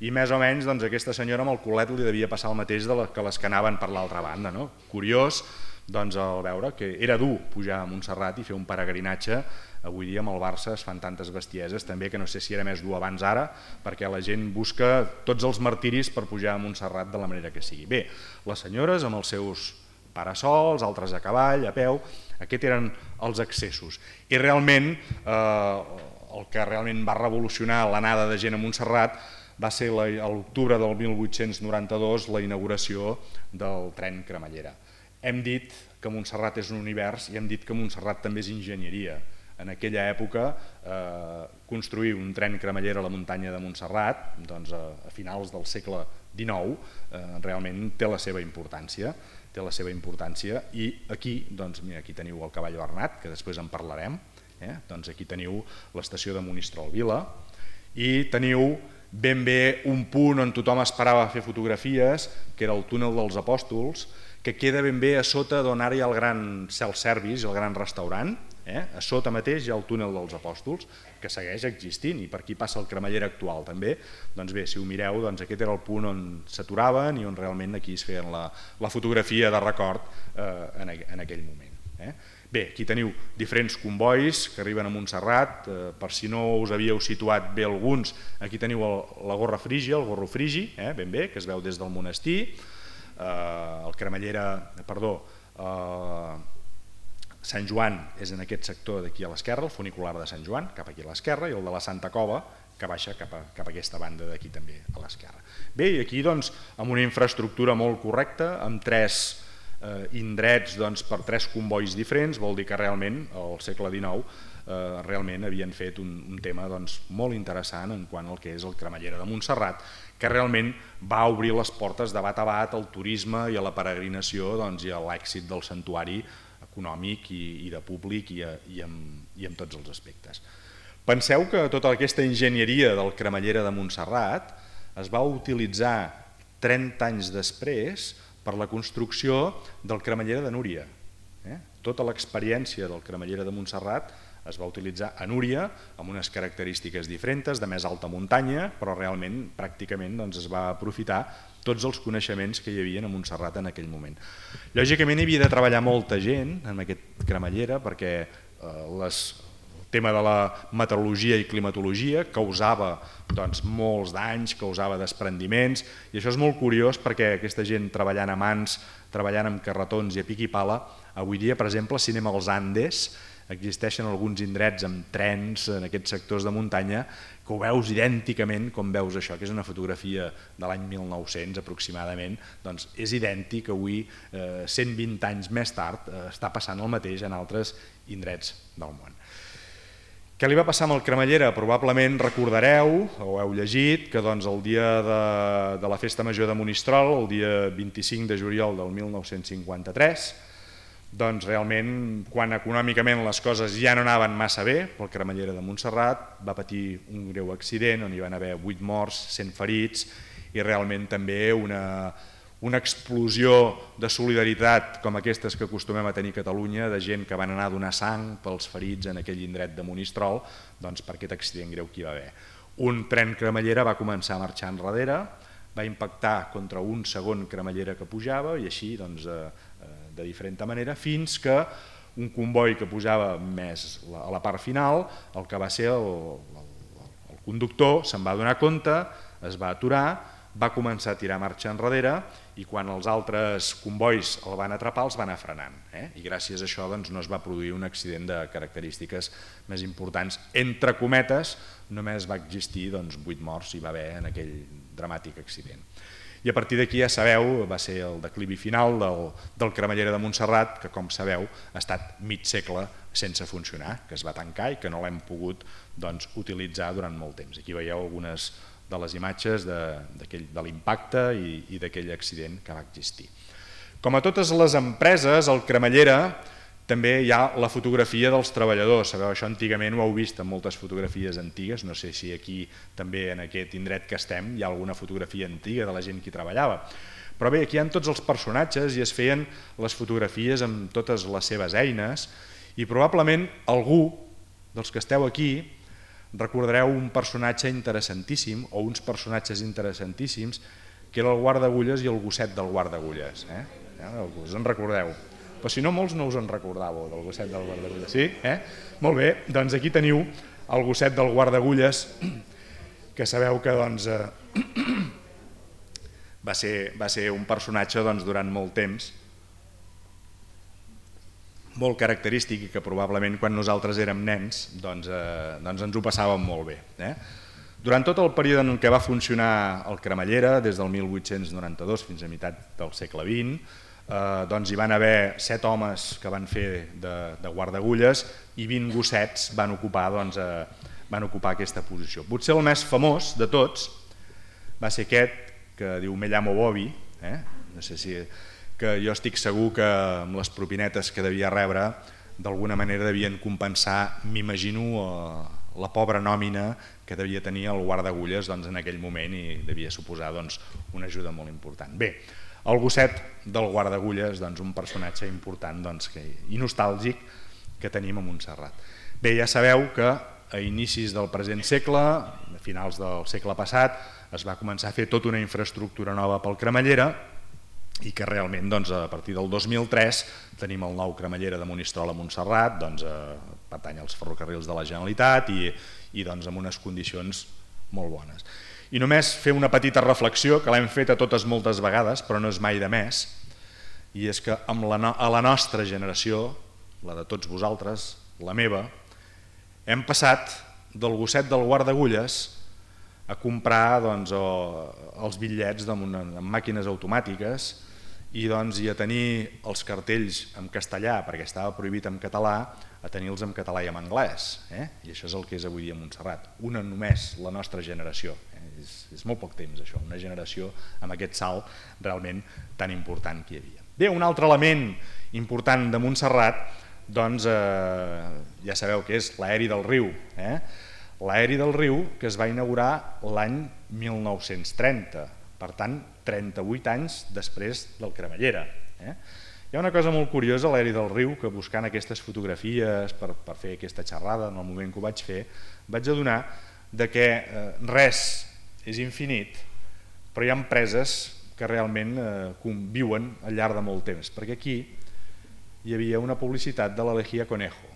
i més o menys aquesta senyora amb el culet li devia passar el mateix que les que anaven per l'altra banda. Curiós al veure que era dur pujar a Montserrat i fer un peregrinatge. Avui dia amb el Barça es fan tantes bestieses també que no sé si era més dur abans ara, perquè la gent busca tots els martiris per pujar a Montserrat de la manera que sigui. Bé, les senyores amb els seus parasols, altres a cavall, a peu, aquests eren els accessos. I realment el que realment va revolucionar l'anada de gent a Montserrat va ser a l'octubre del 1892 la inauguració del tren cremallera. Hem dit que Montserrat és un univers i hem dit que Montserrat també és enginyeria. en aquella època construir un tren cremallera a la muntanya de Montserrat a finals del segle XIX realment té la seva importància. I aquí teniu el cavall Bernat, que després en parlarem, aquí teniu l'estació de Monistrol Vila i teniu ben bé un punt on tothom esperava fer fotografies, que era el túnel dels Apòstols, que queda ben bé a sota d'on ara hi ha el gran self-service, el gran restaurant. A sota mateix hi ha el túnel dels Apòstols, que segueix existint, i per aquí passa el cremallera actual també. Doncs bé, si ho mireu, aquest era el punt on s'aturaven i on realment aquí es feien la fotografia de record en aquell moment. Bé, aquí teniu diferents convois que arriben a Montserrat. Per si no us havíeu situat bé alguns, aquí teniu la gorra frígia, el gorro frigi, ben bé, que es veu des del monestir. El cremallera, Sant Joan és en aquest sector d'aquí a l'esquerra, el funicular de Sant Joan, cap aquí a l'esquerra, i el de la Santa Cova, que baixa cap a aquesta banda d'aquí també a l'esquerra. Bé, i aquí amb una infraestructura molt correcta, amb 3 indrets per 3 convois diferents, vol dir que realment al segle XIX realment havien fet un tema molt interessant en quant al que és el cremallera de Montserrat, que realment va obrir les portes de bat a bat al turisme i a la peregrinació i a l'èxit del santuari econòmic i de públic i en tots els aspectes. Penseu que tota aquesta enginyeria del cremallera de Montserrat es va utilitzar 30 anys després per la construcció del cremallera de Núria. Tota l'experiència del cremallera de Montserrat es va utilitzar a Núria amb unes característiques diferents, de més alta muntanya, però realment pràcticament es va aprofitar tots els coneixements que hi havia a Montserrat en aquell moment. Lògicament hi havia de treballar molta gent en aquest cremallera perquè el tema de la meteorologia i climatologia causava molts danys, causava desprendiments, i això és molt curiós perquè aquesta gent treballant a mans, treballant amb carretons i a pic i pala, avui dia, per exemple, si anem als Andes, existeixen alguns indrets amb trens en aquests sectors de muntanya que ho veus idènticament com veus això, que és una fotografia de l'any 1900 aproximadament, doncs és idèntic avui, 120 anys més tard, està passant el mateix en altres indrets del món. Què li va passar amb el cremallera? Probablement recordareu, o heu llegit, que el dia de la Festa Major de Monistrol, el dia 25 de juliol del 1953, doncs realment, quan econòmicament les coses ja no anaven massa bé, pel cremallera de Montserrat va patir un greu accident on hi van haver 8 morts, 100 ferits i realment també una explosió de solidaritat com aquestes que acostumem a tenir a Catalunya, de gent que van anar a donar sang pels ferits en aquell indret de Monistrol, doncs per aquest accident greu que hi va haver. Un tren cremallera va començar a marxar enrere, va impactar contra un segon cremallera que pujava i així de diferent manera, fins que un comboi que pujava més a la part final, el que va ser el conductor se'n va donar compte, es va aturar, va començar a tirar marxa enrere i quan els altres combois el van atrapar els van anar frenant. I gràcies a això no es va produir un accident de característiques més importants. Entre cometes, només va existir 8 morts hi va haver en aquell dramàtic accident. I a partir d'aquí ja sabeu, va ser el declivi final del cremallera de Montserrat, que com sabeu ha estat mig segle sense funcionar, que es va tancar i que no l'hem pogut utilitzar durant molt temps. Aquí veieu algunes de les imatges de l'impacte i d'aquell accident que va existir. Com a totes les empreses, el cremallera també hi ha la fotografia dels treballadors. Sabeu, això antigament ho heu vist en moltes fotografies antigues, no sé si aquí també en aquest indret que estem hi ha alguna fotografia antiga de la gent que hi treballava. Però bé, aquí hi ha tots els personatges i es feien les fotografies amb totes les seves eines i probablement algú dels que esteu aquí recordareu un personatge interessantíssim o uns personatges interessantíssims que era el guardagulles i el gosset del guardagulles. Us en recordeu? Però si no, molts no us en recordàveu del gosset del guardagulles. Sí? Molt bé, doncs aquí teniu el gosset del guardagulles, que sabeu que va ser un personatge durant molt temps, molt característic i que probablement quan nosaltres érem nens ens ho passàvem molt bé. Durant tot el període en què va funcionar el cremallera, des del 1892 fins a meitat del segle XX, doncs hi van haver 7 homes que van fer de guardagulles i 20 gossets van ocupar aquesta posició. Potser el més famós de tots va ser aquest que diu Me llamo Bobby, no sé si, que jo estic segur que amb les propinetes que devia rebre d'alguna manera devien compensar, m'imagino, la pobra nòmina que devia tenir el guardagulles en aquell moment i devia suposar una ajuda molt important. Bé, el gosset del guardagulles, un personatge important i nostàlgic que tenim a Montserrat. Bé, ja sabeu que a inicis del present segle, a finals del segle passat, es va començar a fer tota una infraestructura nova pel Cremallera i que realment a partir del 2003 tenim el nou Cremallera de Monistrol a Montserrat, pertany als ferrocarrils de la Generalitat i amb unes condicions molt bones. I només fer una petita reflexió, que l'hem fet a totes moltes vegades, però no és mai de més, i és que a la nostra generació, la de tots vosaltres, la meva, hem passat del gosset del guardagulles a comprar els bitllets amb màquines automàtiques i a tenir els cartells en castellà, perquè estava prohibit en català, a tenir-los en català i en anglès. I això és el que és avui dia Montserrat. Una només, la nostra generació. És molt poc temps això, una generació amb aquest salt realment tan important que hi havia. Bé, un altre element important de Montserrat, ja sabeu que és l'aeri del riu. L'aeri del riu que es va inaugurar l'any 1930, per tant 38 anys després del Cremallera. Hi ha una cosa molt curiosa a l'aeri del riu que buscant aquestes fotografies per fer aquesta xerrada en el moment que ho vaig fer, vaig adonar que res és infinit, però hi ha empreses que realment conviuen al llarg de molt temps, perquè aquí hi havia una publicitat de la Lejía Conejo.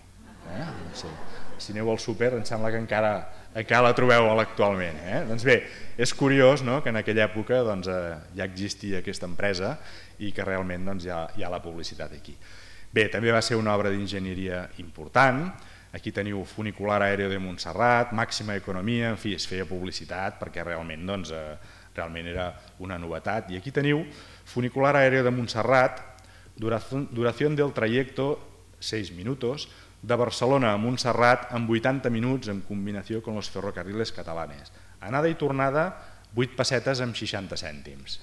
Si aneu al súper em sembla que encara la trobeu actualment. Doncs bé, és curiós que en aquella època ja existia aquesta empresa i que realment hi ha la publicitat aquí. Bé, també va ser una obra d'enginyeria important. Aquí teniu funicular aèreo de Montserrat, màxima economia, en fi, es feia publicitat perquè realment era una novetat. I aquí teniu funicular aéreo de Montserrat, duración del trayecto 6 minutos, de Barcelona a Montserrat en 80 minuts en combinació amb els ferrocarriles catalanes. Anada i tornada, 8 pessetes amb 60 cèntims.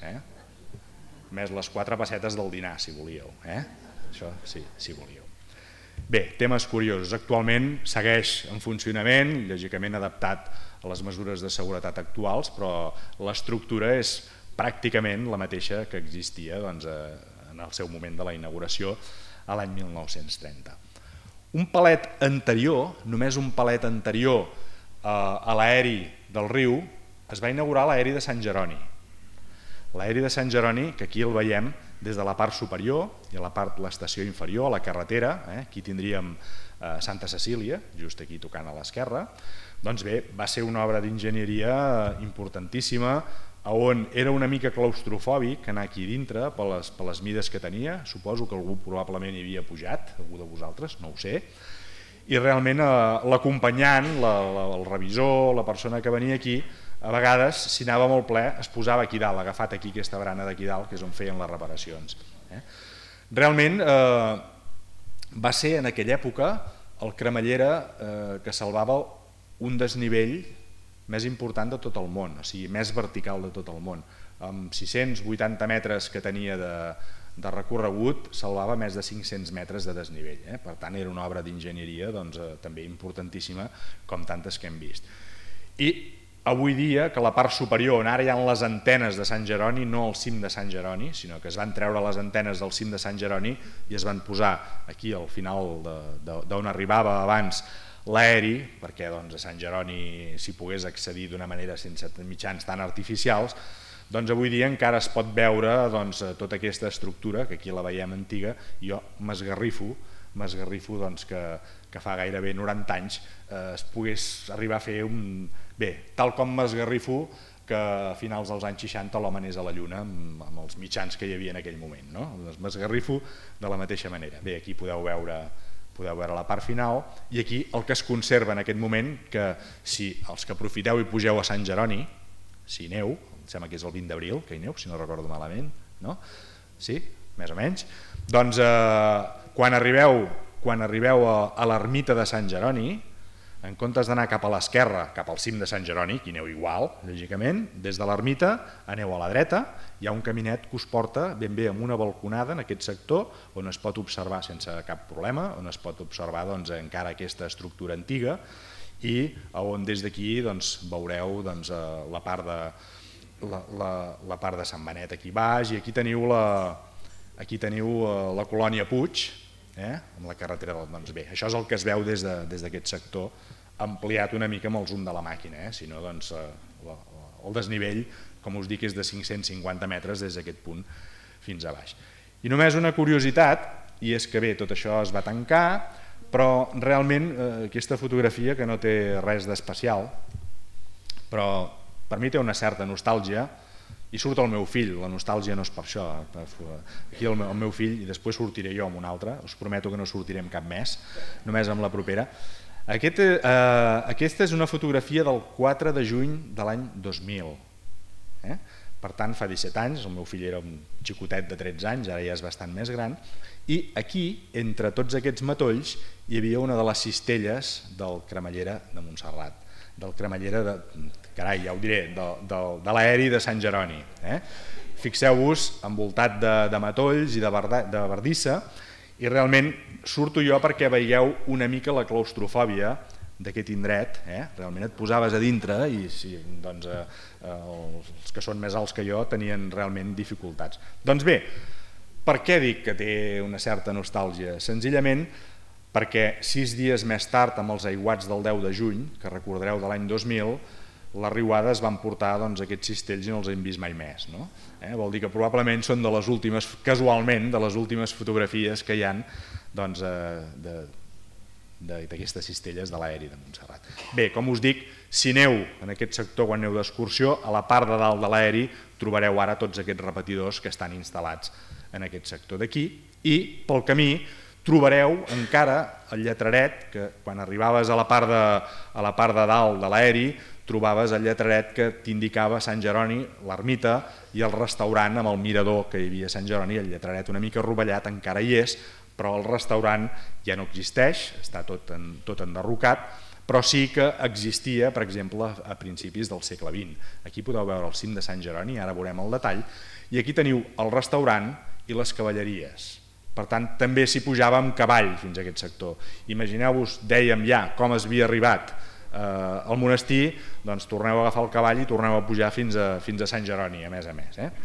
Més les 4 pessetes del dinar, si volíeu. Això sí, si volíeu. Bé, temes curiosos. Actualment segueix en funcionament, lògicament adaptat a les mesures de seguretat actuals, però l'estructura és pràcticament la mateixa que existia en el seu moment de la inauguració a l'any 1930. Un palet anterior, només un palet anterior a l'aeri del riu, es va inaugurar l'aeri de Sant Jeroni. L'aeri de Sant Jeroni, que aquí el veiem des de la part superior i a la part de l'estació inferior, a la carretera, aquí tindríem Santa Cecília, just aquí tocant a l'esquerra, doncs bé, va ser una obra d'enginyeria importantíssima, on era una mica claustrofòbic anar aquí dintre per les mides que tenia, suposo que algú probablement hi havia pujat, algú de vosaltres, no ho sé, i realment l'acompanyant, el revisor, la persona que venia aquí, a vegades, si anava molt ple, es posava aquí dalt, agafat aquí aquesta barana d'aquí dalt, que és on feien les reparacions. Realment va ser en aquella època el Cremallera que salvava un desnivell més important de tot el món, o sigui, més vertical de tot el món. Amb 680 metres que tenia de recorregut, salvava més de 500 metres de desnivell. Per tant, era una obra d'enginyeria també importantíssima, com tantes que hem vist. I avui dia, que la part superior, on ara hi ha les antenes de Sant Jeroni, no al cim de Sant Jeroni, sinó que es van treure les antenes del cim de Sant Jeroni i es van posar aquí al final d'on arribava abans l'aeri, perquè a Sant Jeroni s'hi pogués accedir d'una manera sense mitjans tan artificials, doncs avui dia encara es pot veure tota aquesta estructura, que aquí la veiem antiga, i jo m'esgarrifo que fa gairebé 90 anys es pogués arribar a fer un... Bé, tal com m'esgarrifo que a finals dels anys 60 l'home anés a la Lluna amb els mitjans que hi havia en aquell moment. M'esgarrifo de la mateixa manera. Bé, aquí podeu veure la part final, i aquí el que es conserva en aquest moment, que si els que aprofiteu i pugeu a Sant Jeroni, si hi aneu, em sembla que és el 20 d'abril que hi aneu, si no recordo malament, no? Sí? més o menys. Doncs quan arribeu a l'ermita de Sant Jeroni, en comptes d'anar cap a l'esquerra, cap al cim de Sant Jeroni, que hi aneu igual, lògicament, des de l'ermita aneu a la dreta, hi ha un caminet que us porta ben bé amb una balconada en aquest sector, on es pot observar sense cap problema, on es pot observar encara aquesta estructura antiga, i on des d'aquí veureu la part de Sant Benet aquí baix, i aquí teniu la colònia Puig, amb la carretera del... Doncs bé, això és el que es veu des d'aquest sector, ampliat una mica amb el zoom de la màquina, si no el desnivell, com us dic, és de 550 metres des d'aquest punt fins a baix. I només una curiositat, i és que bé, tot això es va tancar, però realment aquesta fotografia, que no té res d'especial, però per mi té una certa nostàlgia, i surt el meu fill, la nostàlgia no és per això, aquí el meu fill, i després sortiré jo amb un altre, us prometo que no sortiré amb cap més, només amb la propera. Aquesta és una fotografia del 4 de juny de l'any 2000, per tant fa 17 anys, el meu fill era un xicotet de 13 anys, ara ja és bastant més gran, i aquí, entre tots aquests matolls, hi havia una de les cistelles del Cremallera de Montserrat, del Cremallera, carai, ja ho diré, de l'aeri de Sant Jeroni. Fixeu-vos, envoltat de matolls i de bardissa, i realment surto jo perquè veieu una mica la claustrofòbia d'aquest indret, realment et posaves a dintre i els que són més alts que jo tenien realment dificultats. Doncs bé, per què dic que té una certa nostàlgia? Senzillament perquè 6 dies més tard, amb els aiguats del 10 de juny, que recordareu de l'any 2000, les riuades van portar aquests cistells i no els hem vist mai més. Vol dir que probablement són de les últimes, casualment, de les últimes fotografies que hi ha d'aquestes cistelles de l'aeri de Montserrat. Bé, com us dic, si aneu en aquest sector quan aneu d'excursió, a la part de dalt de l'aeri trobareu ara tots aquests repetidors que estan instal·lats en aquest sector d'aquí, i pel camí trobareu encara el lletraret que quan arribaves a la part de dalt de l'aeri trobaves el lletraret que t'indicava Sant Jeroni, l'ermita i el restaurant amb el mirador que hi havia a Sant Jeroni. El lletraret una mica rovellat encara hi és, però el restaurant ja no existeix, està tot enderrocat, però sí que existia, per exemple, a principis del segle XX. Aquí podeu veure el cim de Sant Jeroni, ara veurem el detall, i aquí teniu el restaurant i les cavalleries. Per tant, també s'hi pujava amb cavall fins a aquest sector. Imagineu-vos, dèiem ja, com es havia arribat al monestir, doncs torneu a agafar el cavall i torneu a pujar fins a Sant Jeroni, a més.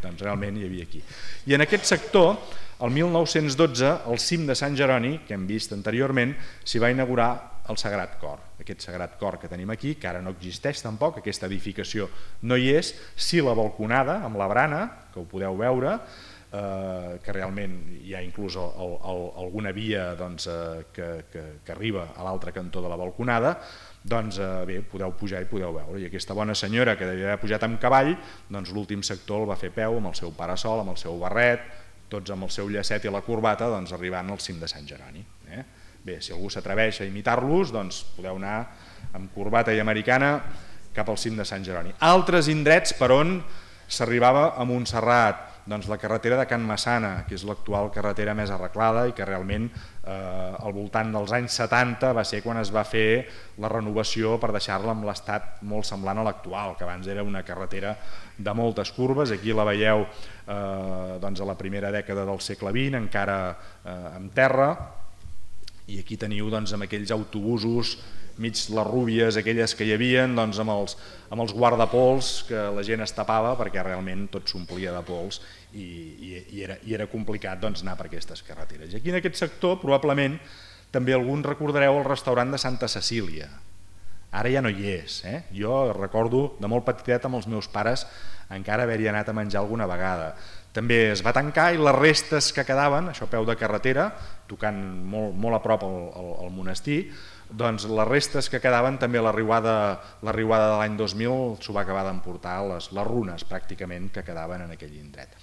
Doncs realment hi havia aquí. I en aquest sector, el 1912, al cim de Sant Jeroni, que hem vist anteriorment, s'hi va inaugurar el Sagrat Cor. Aquest Sagrat Cor que tenim aquí, que ara no existeix tampoc, aquesta edificació no hi és, sí la balconada amb la barana, que ho podeu veure, que realment hi ha inclús alguna via que arriba a l'altre cantó de la balconada, doncs bé, podeu pujar i podeu veure. I aquesta bona senyora que devia haver pujat amb cavall, doncs l'últim sector el va fer peu amb el seu parasol, amb el seu barret, tots amb el seu llacet i la corbata, doncs arribant al cim de Sant Jeroni. Bé, si algú s'atreveix a imitar-los, doncs podeu anar amb corbata i americana cap al cim de Sant Jeroni. Altres indrets per on s'arribava a Montserrat, doncs la carretera de Can Massana, que és l'actual carretera més arreglada i que realment al voltant dels anys 70 va ser quan es va fer la renovació per deixar-la amb l'estat molt semblant a l'actual, que abans era una carretera de moltes curves. Aquí la veieu a la primera dècada del segle XX, encara en terra, i aquí teniu amb aquells autobusos mig les rúbies, aquelles que hi havia, amb els guardapols que la gent es tapava perquè realment tot s'omplia de pols i era complicat anar per aquestes carreteres. I aquí en aquest sector probablement també alguns recordareu el restaurant de Santa Cecília. Ara ja no hi és. Jo recordo de molt petitet amb els meus pares encara haver-hi anat a menjar alguna vegada. També es va tancar i les restes que quedaven, això a peu de carretera, tocant molt a prop al monestir, doncs les restes que quedaven també a la riuada de l'any 2000 s'ho va acabar d'emportar les runes pràcticament que quedaven en aquell indret.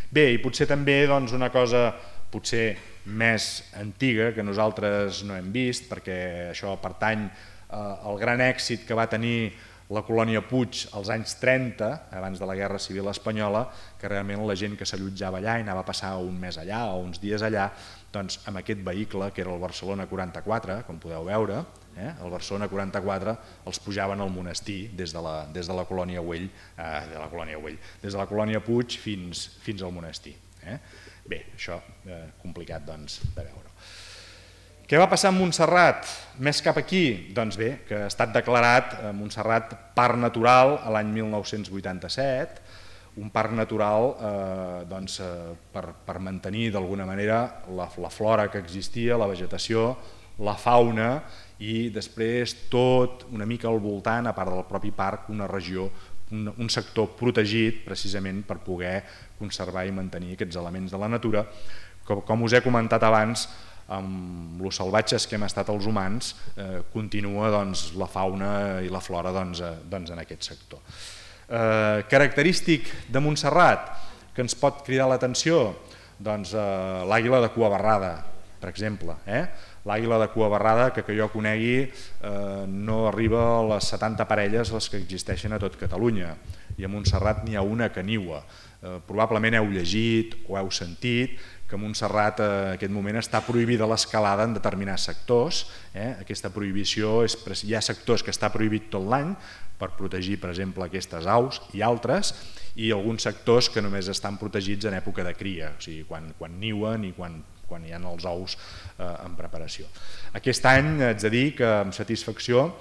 Bé, i potser també una cosa potser més antiga que nosaltres no hem vist, perquè això pertany al gran èxit que va tenir la colònia Puig als anys 30, abans de la Guerra Civil Espanyola, que realment la gent que s'allotjava allà i anava a passar un mes allà o uns dies allà, doncs amb aquest vehicle, que era el Barcelona 44, com podeu veure, el Barcelona 44 els pujaven al monestir des de la colònia Güell, des de la colònia Puig fins al monestir. Bé, això complicat doncs de veure. Què va passar amb Montserrat? Més cap aquí? Doncs bé, que ha estat declarat Montserrat parc natural a l'any 1987, un parc natural per mantenir d'alguna manera la flora que existia, la vegetació, la fauna i després tot una mica al voltant, a part del propi parc, una regió, un sector protegit precisament per poder conservar i mantenir aquests elements de la natura. Com us he comentat abans, amb els salvatges que hem estat els humans, continua la fauna i la flora en aquest sector. Característic de Montserrat que ens pot cridar l'atenció? Doncs l'àguila de cua barrada, per exemple. L'àguila de cua barrada, que jo conegui, no arriba a les 70 parelles les que existeixen a tot Catalunya, i a Montserrat n'hi ha una que niua. Probablement heu llegit o heu sentit que a Montserrat en aquest moment està prohibida l'escalada en determinats sectors. Aquesta prohibició, hi ha sectors que està prohibit tot l'any per protegir, per exemple, aquestes aus i altres, i alguns sectors que només estan protegits en època de cria, o sigui, quan niuen i quan hi ha els ous en preparació. Aquest any haig de dir que amb satisfacció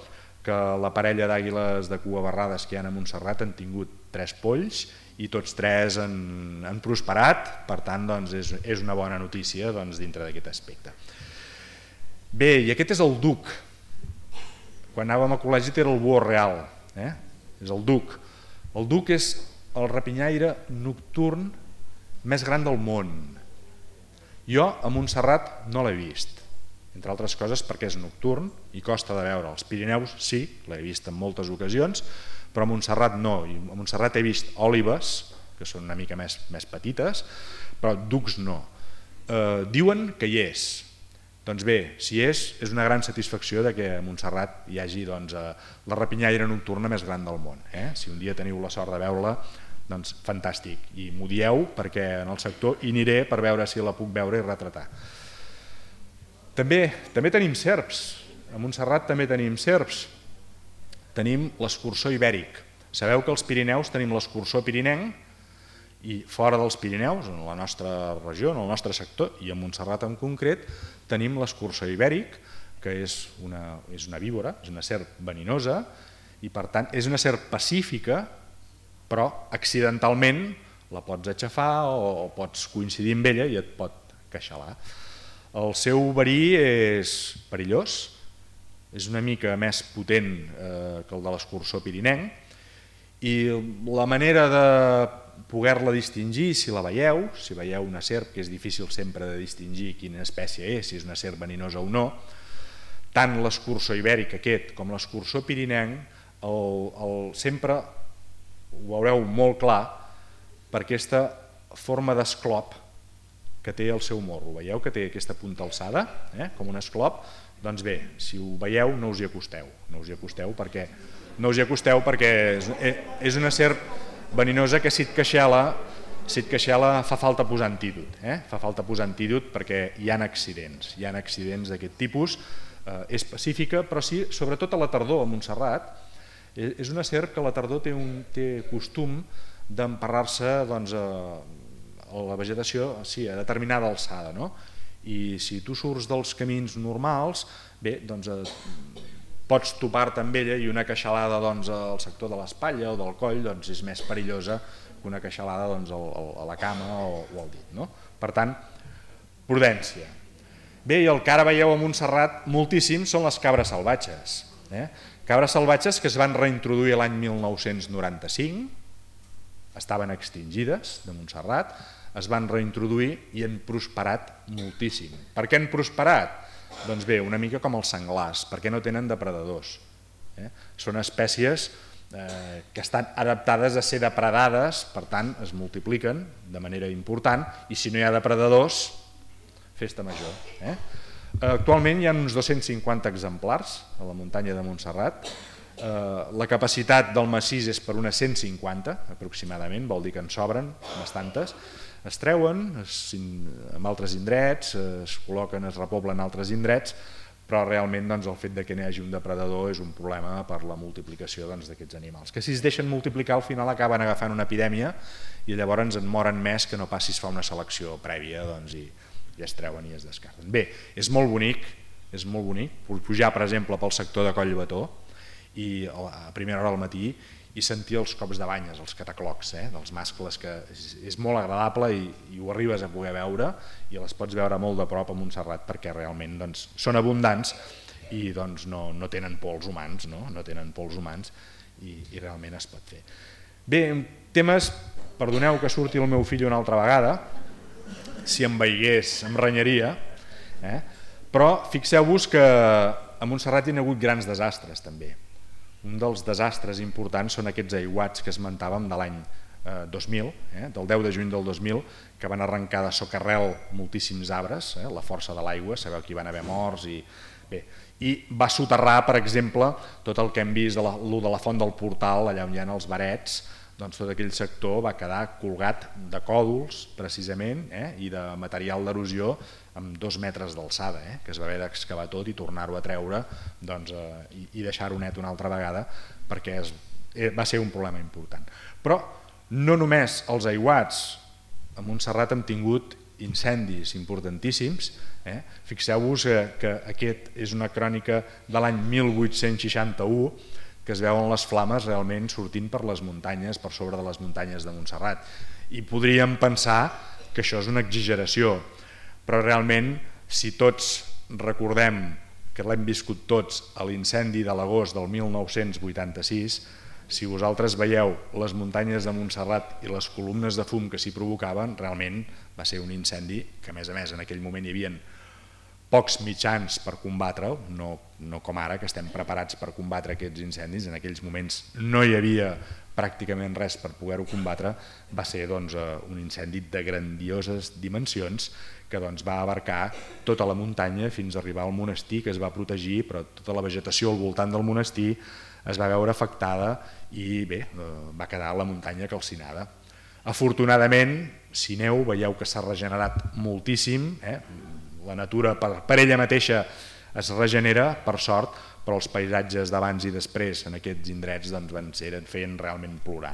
que la parella d'àguiles de cua barrades que hi ha a Montserrat han tingut 3 polls i tots 3 han prosperat, per tant és una bona notícia dintre d'aquest aspecte. Bé, i aquest és el duc. Quan anàvem a col·legi era el búho real, és el duc. El duc és el rapinyaire nocturn més gran del món. Jo a Montserrat no l'he vist, entre altres coses perquè és nocturn i costa de veure. Als Pirineus sí, l'he vist en moltes ocasions, però a Montserrat no. A Montserrat he vist òlibes, que són una mica més petites, però ducs no. Diuen que hi és. Doncs bé, si és una gran satisfacció que a Montserrat hi hagi la rapinyaire nocturna més gran del món. Si un dia teniu la sort de veure-la, doncs fantàstic, i m'ho dieu perquè en el sector hi aniré per veure si la puc veure i retratar. També tenim serps, a Montserrat també tenim serps, tenim l'escurçó ibèric. Sabeu que als Pirineus tenim l'escurçó pirinenc i fora dels Pirineus, en la nostra regió, en el nostre sector, i a Montserrat en concret, tenim l'escurçó ibèric, que és una víbora, és una serp veninosa, i per tant és una serp pacífica, però accidentalment la pots aixafar o pots coincidir amb ella i et pot queixalar. El seu verí és perillós, és una mica més potent que el de l'escurçó pirinenc, i la manera de poder-la distingir, si veieu una serp, que és difícil sempre de distingir quina espècie és, si és una serp veninosa o no, tant l'escurçó ibèric aquest com l'escurçó pirinenc sempre ho veureu molt clar per aquesta forma d'esclop que té el seu morro. Veieu que té aquesta punta alçada, com un esclop? Doncs bé, si ho veieu no us hi acosteu perquè és una serp veninosa que si et queixela fa falta posar antídot, perquè hi ha accidents d'aquest tipus. És pacífica, però sí, sobretot a la tardor a Montserrat, és una serp que a la tardor té costum d'emparrar-se a la vegetació a determinada alçada. I si tu surts dels camins normals, bé, pots topar-te amb ella i una queixalada al sector de l'espatlla o del coll és més perillosa que una queixalada a la cama o al dit. Per tant, prudència. Bé, i el que ara veieu a Montserrat moltíssim són les cabres salvatges. Cabres salvatges que es van reintroduir l'any 1995, estaven extingides de Montserrat, es van reintroduir i han prosperat moltíssim. Per què han prosperat? Doncs bé, una mica com els senglars, perquè no tenen depredadors. Són espècies que estan adaptades a ser depredades, per tant es multipliquen de manera important, i si no hi ha depredadors, festa major. Actualment hi ha uns 250 exemplars a la muntanya de Montserrat. La capacitat del massís és per unes 150 aproximadament, vol dir que en sobren bastantes. Es treuen en altres indrets, es col·loquen, es repoblen altres indrets, però realment el fet que n'hi hagi un depredador és un problema per la multiplicació d'aquests animals, que si es deixen multiplicar al final acaben agafant una epidèmia i llavors en moren més que no pas si es fa una selecció prèvia i es treuen i es descarten. Bé, és molt bonic pujar per exemple pel sector de Collbató i a primera hora del matí i sentir els cops de banyes, els cataclocs dels mascles, que és molt agradable i ho arribes a poder veure i les pots veure molt de prop a Montserrat perquè realment són abundants i no tenen por als humans, no tenen por als humans i realment es pot fer. Bé, temes, perdoneu que surti el meu fill una altra vegada, si em veiés em renyaria, però fixeu-vos que a Montserrat hi ha hagut grans desastres també. Un dels desastres importants són aquests aiguats que esmentàvem de l'any 2000, del 10 de juny del 2000, que van arrencar de socarrel moltíssims arbres, la força de l'aigua, sabeu que hi van haver morts i va soterrar, per exemple, tot el que hem vist de la font del Portal, allà on hi ha els barets, tot aquell sector va quedar colgat de còdols, precisament, i de material d'erosió amb 2 metres d'alçada, que es va haver d'excavar tot i tornar-ho a treure i deixar-ho net una altra vegada perquè va ser un problema important. Però no només els aiguats, a Montserrat hem tingut incendis importantíssims. Fixeu-vos que aquest és una crònica de l'any 1861 que es veuen les flames realment sortint per les muntanyes, per sobre de les muntanyes de Montserrat. I podríem pensar que això és una exageració, però realment, si tots recordem que l'hem viscut tots a l'incendi de l'agost del 1986, si vosaltres veieu les muntanyes de Montserrat i les columnes de fum que s'hi provocaven, realment va ser un incendi que, a més, en aquell moment hi havia pocs mitjans per combatre-ho, no com ara, que estem preparats per combatre aquests incendis. En aquells moments no hi havia pràcticament res per poder-ho combatre. Va ser un incendi de grandioses dimensions que va abarcar tota la muntanya fins a arribar al monestir, que es va protegir, però tota la vegetació al voltant del monestir es va veure afectada i bé, va quedar la muntanya calcinada. Afortunadament, si aneu, veieu que s'ha regenerat moltíssim, la natura per ella mateixa es regenera, per sort, però els paisatges d'abans i després en aquests indrets feien realment plorar.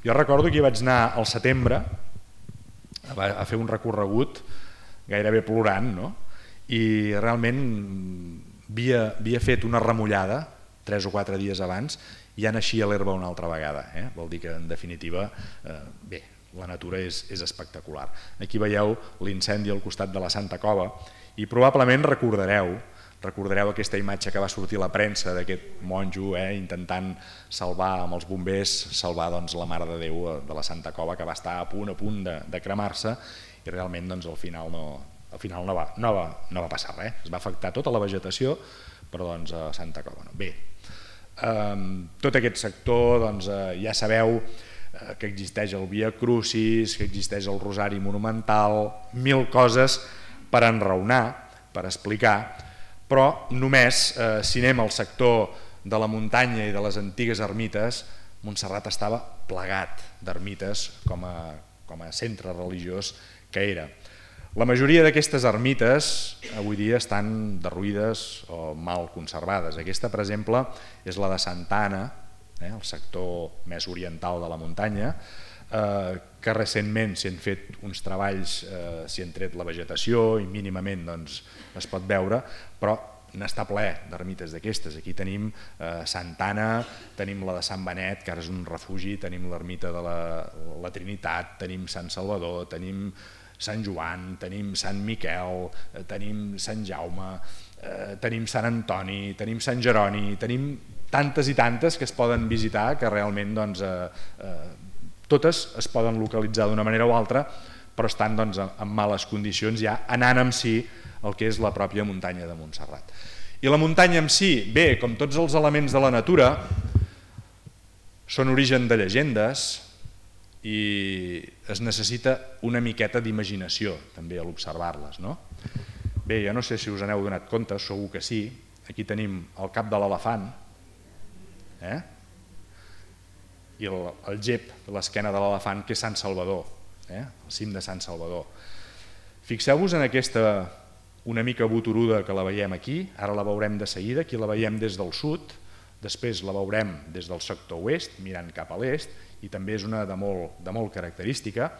Jo recordo que hi vaig anar al setembre a fer un recorregut gairebé plorant, i realment havia fet una remullada 3 o 4 dies abans i ja naixia l'herba una altra vegada. Vol dir que, en definitiva, bé, la natura és espectacular. Aquí veieu l'incendi al costat de la Santa Cova i probablement recordareu aquesta imatge que va sortir a la premsa d'aquest monjo intentant salvar amb els bombers, salvar la Mare de Déu de la Santa Cova, que va estar a punt de cremar-se i realment al final no va passar res. Es va afectar tota la vegetació, però a Santa Cova no. Bé, tot aquest sector ja sabeu que existeix el Via Crucis, que existeix el Rosari Monumental, 1000 coses per enraonar, per explicar, però només si anem al sector de la muntanya i de les antigues ermites, Montserrat estava plegat d'ermites com a centre religiós que era. La majoria d'aquestes ermites avui dia estan derruïdes o mal conservades. Aquesta, per exemple, és la de Santa Anna, el sector més oriental de la muntanya, que recentment s'hi han fet uns treballs, s'hi han tret la vegetació i mínimament es pot veure, però n'està ple d'ermites d'aquestes. Aquí tenim Santa Anna, tenim la de Sant Benet, que ara és un refugi, tenim l'ermita de la Trinitat, tenim Sant Salvador, tenim Sant Joan, tenim Sant Miquel, tenim Sant Jaume, tenim Sant Antoni, tenim Sant Jeroni, tenim tantes i tantes que es poden visitar que realment totes es poden localitzar d'una manera o altra, però estan en males condicions ja anant en si el que és la pròpia muntanya de Montserrat. I la muntanya en si, bé, com tots els elements de la natura, són origen de llegendes i es necessita una miqueta d'imaginació també a l'observar-les. Bé, jo no sé si us n'heu donat compte, segur que sí, aquí tenim el cap de l'elefant, I el gep de l'esquena de l'elefant, que és Sant Salvador, el cim de Sant Salvador. Fixeu-vos en aquesta una mica boturuda que la veiem aquí, ara la veurem de seguida, aquí la veiem des del sud, després la veurem des del sector oest, mirant cap a l'est, i també és una de molt característica.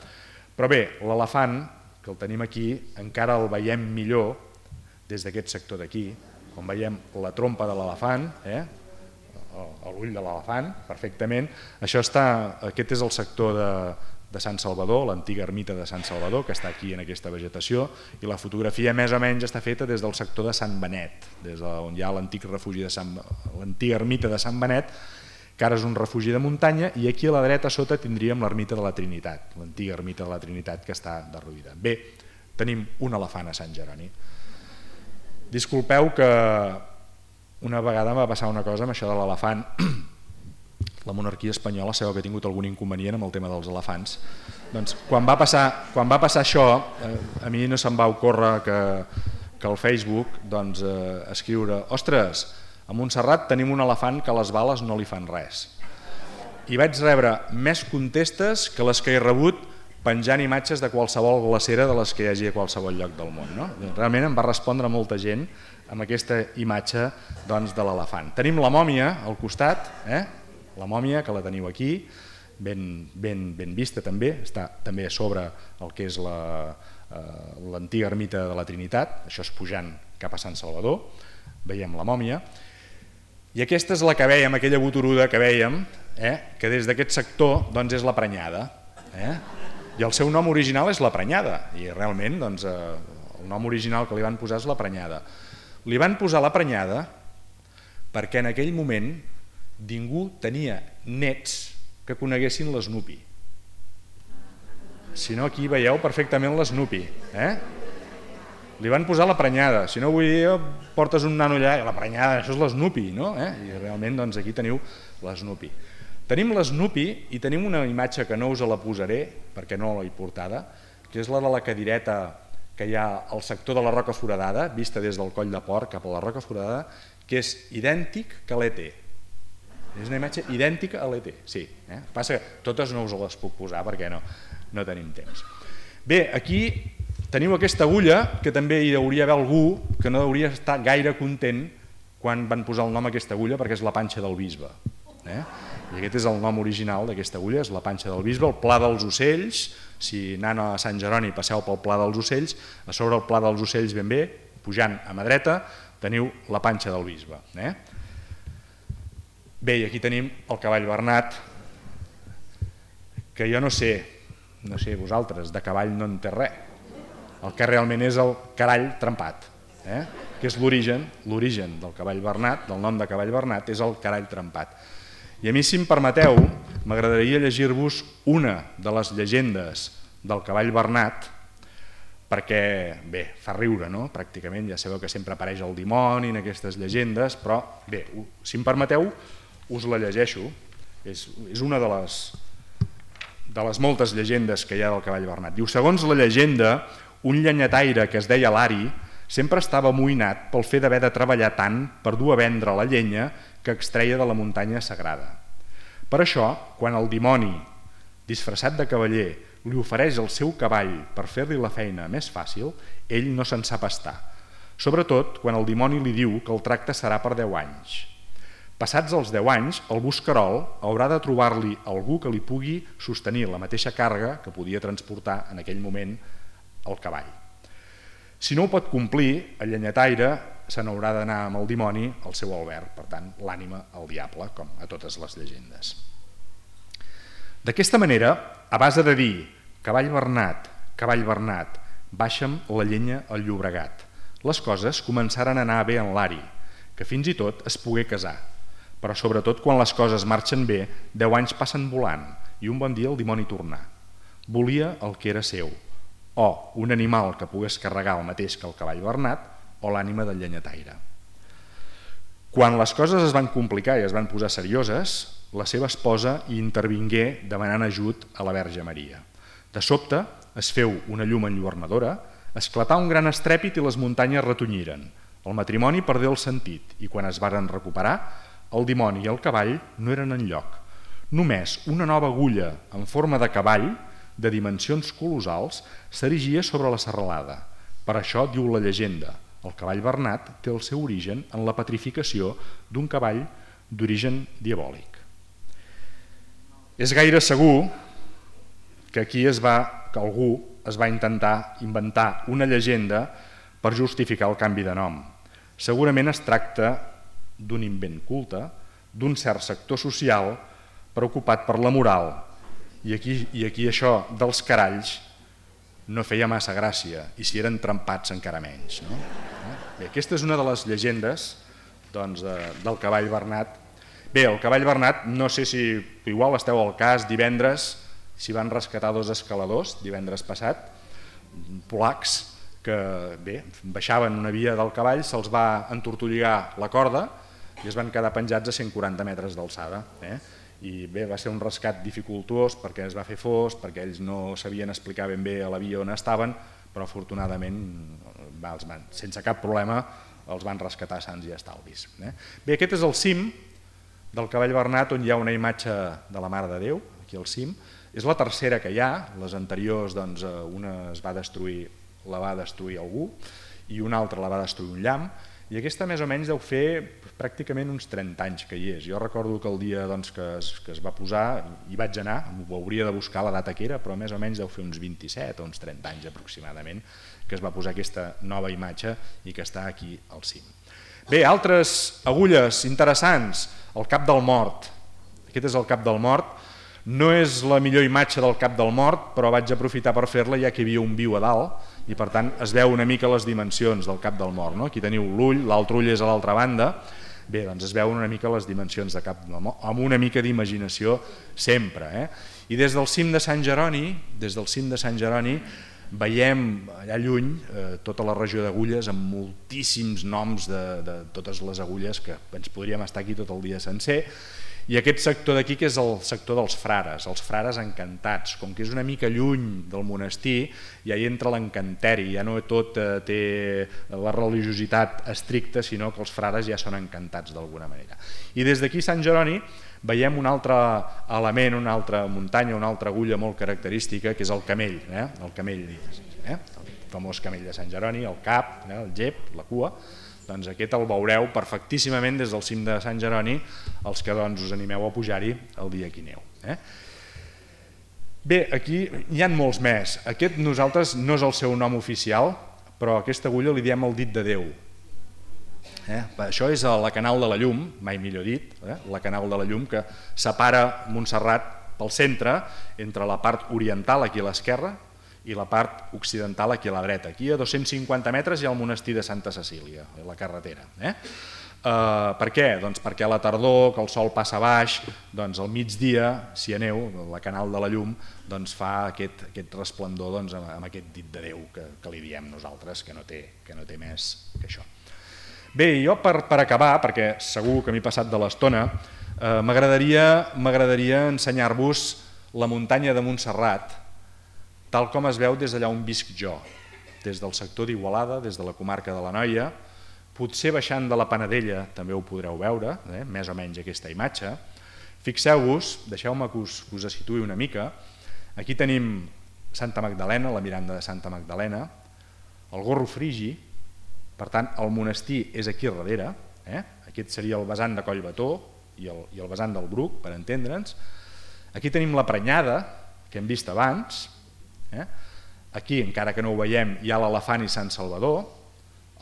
Però bé, l'elefant, que el tenim aquí, encara el veiem millor des d'aquest sector d'aquí, on veiem la trompa de l'elefant, l'ull de l'elefant, perfectament. Aquest és el sector de Sant Salvador, l'antiga ermita de Sant Salvador, que està aquí en aquesta vegetació, i la fotografia més o menys està feta des del sector de Sant Benet, des d'on hi ha l'antic refugi l'antiga ermita de Sant Benet, que ara és un refugi de muntanya, i aquí a la dreta sota tindríem l'ermita de la Trinitat, l'antiga ermita de la Trinitat, que està derruïda. Bé, tenim un elefant a Sant Jeroni. Disculpeu que una vegada em va passar una cosa amb això de l'elefant. La monarquia espanyola sabeu que ha tingut algun inconvenient amb el tema dels elefants. Doncs quan va passar això, a mi no se'm va ocórrer que al Facebook escriure «Ostres, a Montserrat tenim un elefant que les bales no li fan res». I vaig rebre més contestes que les que he rebut penjant imatges de qualsevol glacera de les que hi hagi a qualsevol lloc del món. Realment em va respondre molta gent amb aquesta imatge de l'elefant. Tenim la mòmia al costat, la mòmia que la teniu aquí, ben vista també, està també a sobre el que és l'antiga ermita de la Trinitat, això és pujant cap a Sant Salvador, veiem la mòmia, i aquesta és la que veiem, aquella boturuda que veiem, que des d'aquest sector és la prenyada, i el seu nom original és la prenyada, i realment el nom original que li van posar és la prenyada. Li van posar la prenyada perquè en aquell moment ningú tenia nets que coneguessin l'Snoopy. Si no, aquí veieu perfectament l'Snoopy. Li van posar la prenyada. Si no, avui dia portes un nano allà i la prenyada, això és l'Snoopy, no? I realment aquí teniu l'Snoopy. Tenim l'Snoopy i tenim una imatge que no us la posaré perquè no l'he portada, que és la de la cadireta que hi ha al sector de la Roca Foradada, vista des del Coll de Porc cap a la Roca Foradada, que és idèntic que l'ET. És una imatge idèntica a l'ET, sí. Passa que totes no us les puc posar perquè no tenim temps. Bé, aquí teniu aquesta agulla, que també hi hauria d'haver algú que no hauria estar gaire content quan van posar el nom a aquesta agulla, perquè és la panxa del bisbe. I aquest és el nom original d'aquesta agulla, és la panxa del bisbe, el Pla dels Ocells. Si anant a Sant Jeroni passeu pel Pla dels Ocells, a sobre el Pla dels Ocells ben bé, pujant a mà dreta, teniu la panxa del bisbe. Bé, i aquí tenim el cavall Bernat, que jo no sé vosaltres, de cavall no en té res. El que realment és el carall trempat, que és l'origen del cavall Bernat, del nom de cavall Bernat, és el carall trempat. I a mi, si em permeteu, m'agradaria llegir-vos una de les llegendes del cavall Bernat, perquè, bé, fa riure, no? Pràcticament, ja sabeu que sempre apareix el dimoni en aquestes llegendes, però, bé, si em permeteu, us la llegeixo. És una de les moltes llegendes que hi ha del cavall Bernat. Diu, segons la llegenda, un llenyataire que es deia Lari sempre estava amoïnat pel fet d'haver de treballar tant per dur a vendre la llenya que extreia de la muntanya sagrada. Per això, quan el dimoni, disfressat de cavaller, li ofereix el seu cavall per fer-li la feina més fàcil, ell no se'n sap estar. Sobretot quan el dimoni li diu que el tracte serà per 10 anys. Passats els 10 anys, el buscarol haurà de trobar-li algú que li pugui sostenir la mateixa càrrega que podia transportar en aquell moment el cavall. Si no ho pot complir, el llenyataire se n'haurà d'anar amb el dimoni al seu alberg, per tant, l'ànima al diable, com a totes les llegendes. D'aquesta manera, a base de dir cavall Bernat, baixa'm la llenya al Llobregat, les coses començaren a anar bé en Lari, que fins i tot es pogué casar. Però sobretot quan les coses marxen bé, 10 anys passen volant i un bon dia el dimoni tornà. Volia el que era seu, o un animal que pogués carregar el mateix que el cavall Bernat, o l'ànima del llenyataire. Quan les coses es van complicar i es van posar serioses, la seva esposa hi intervingué demanant ajut a la Verge Maria. De sobte es feu una llum enlluernadora, esclatà un gran estrèpit i les muntanyes retonyiren. El matrimoni perdé el sentit i quan es varen recuperar, el dimoni i el cavall no eren enlloc. Només una nova agulla en forma de cavall, de dimensions colossals, s'erigia sobre la serralada. Per això, diu la llegenda, el cavall bernat té el seu origen en la petrificació d'un cavall d'origen diabòlic. És gaire segur que aquí que algú es va intentar inventar una llegenda per justificar el canvi de nom. Segurament es tracta d'un invent culte, d'un cert sector social preocupat per la moral, i aquí això dels caralls no feia massa gràcia, i si eren trempats encara menys. No? Bé, aquesta és una de les llegendes del cavall bernat. Bé, el cavall bernat, no sé si igual esteu al cas, divendres s'hi van rescatar 2 escaladors, divendres passat, polacs, que bé, baixaven una via del cavall, se'ls va entortolligar la corda i es van quedar penjats a 140 metres d'alçada. I bé, va ser un rescat dificultuós perquè es va fer fos, perquè ells no sabien explicar ben bé a la via on estaven, però afortunadament, sense cap problema, els van rescatar sans i estalvis. Bé, aquest és el cim del cavall bernat, on hi ha una imatge de la Mare de Déu, aquí al cim. És la tercera que hi ha, les anteriors, una la va destruir algú i una altra la va destruir un llamp, i aquesta més o menys deu fer pràcticament uns 30 anys que hi és. Jo recordo que el dia que es va posar, hi vaig anar, ho hauria de buscar la data que era, però més o menys deu fer uns 27 o uns 30 anys aproximadament que es va posar aquesta nova imatge i que està aquí al cim. Bé, altres agulles interessants, el cap del mort. Aquest és el cap del mort. No és la millor imatge del cap del mort, però vaig aprofitar per fer-la ja que hi havia un viu a dalt i per tant es veu una mica les dimensions del cap del mort. Aquí teniu l'ull, l'altre ull és a l'altra banda. Bé, doncs es veuen una mica les dimensions de cap del mort, amb una mica d'imaginació sempre. I des del cim de Sant Jeroni, veiem allà lluny tota la regió d'agulles amb moltíssims noms de totes les agulles que ens podríem estar aquí tot el dia sencer. I aquest sector d'aquí, que és el sector dels frares, els frares encantats. Com que és una mica lluny del monestir, ja hi entra l'encanteri, ja no tot té la religiositat estricta, sinó que els frares ja són encantats d'alguna manera. I des d'aquí, Sant Jeroni, veiem un altre element, una altra muntanya, una altra agulla molt característica, que és el camell, el famós camell de Sant Jeroni, el cap, el gep, la cua. Doncs aquest el veureu perfectíssimament des del cim de Sant Jeroni, els que us animeu a pujar-hi el dia que hi aneu. Bé, aquí hi ha molts més. Aquest nosaltres no és el seu nom oficial, però a aquesta agulla li diem el dit de Déu. Això és la Canal de la Llum, mai millor dit, la Canal de la Llum que separa Montserrat pel centre, entre la part oriental aquí a l'esquerra i la part occidental aquí a la dreta. Aquí a 250 metres hi ha el monestir de Santa Cecília, la carretera. Per què? Doncs perquè a la tardor, que el sol passa baix, doncs al migdia, si aneu, la Canal de la Llum fa aquest resplendor amb aquest dit de Déu que li diem nosaltres, que no té més que això. Bé, jo per acabar, perquè segur que m'he passat de l'estona, m'agradaria ensenyar-vos la muntanya de Montserrat, tal com es veu des d'allà on visc jo, des del sector d'Igualada, des de la comarca de l'Anoia, potser baixant de la Panadella també ho podreu veure, més o menys aquesta imatge. Fixeu-vos, deixeu-me que us situï una mica, aquí tenim Santa Magdalena, la Miranda de Santa Magdalena, el Gorro Frigi, per tant el monestir és aquí darrere, aquest seria el vessant de Collbató i el vessant del Bruc, per entendre'ns. Aquí tenim la Prenyada, que hem vist abans. Aquí, encara que no ho veiem, hi ha l'Elefant i Sant Salvador,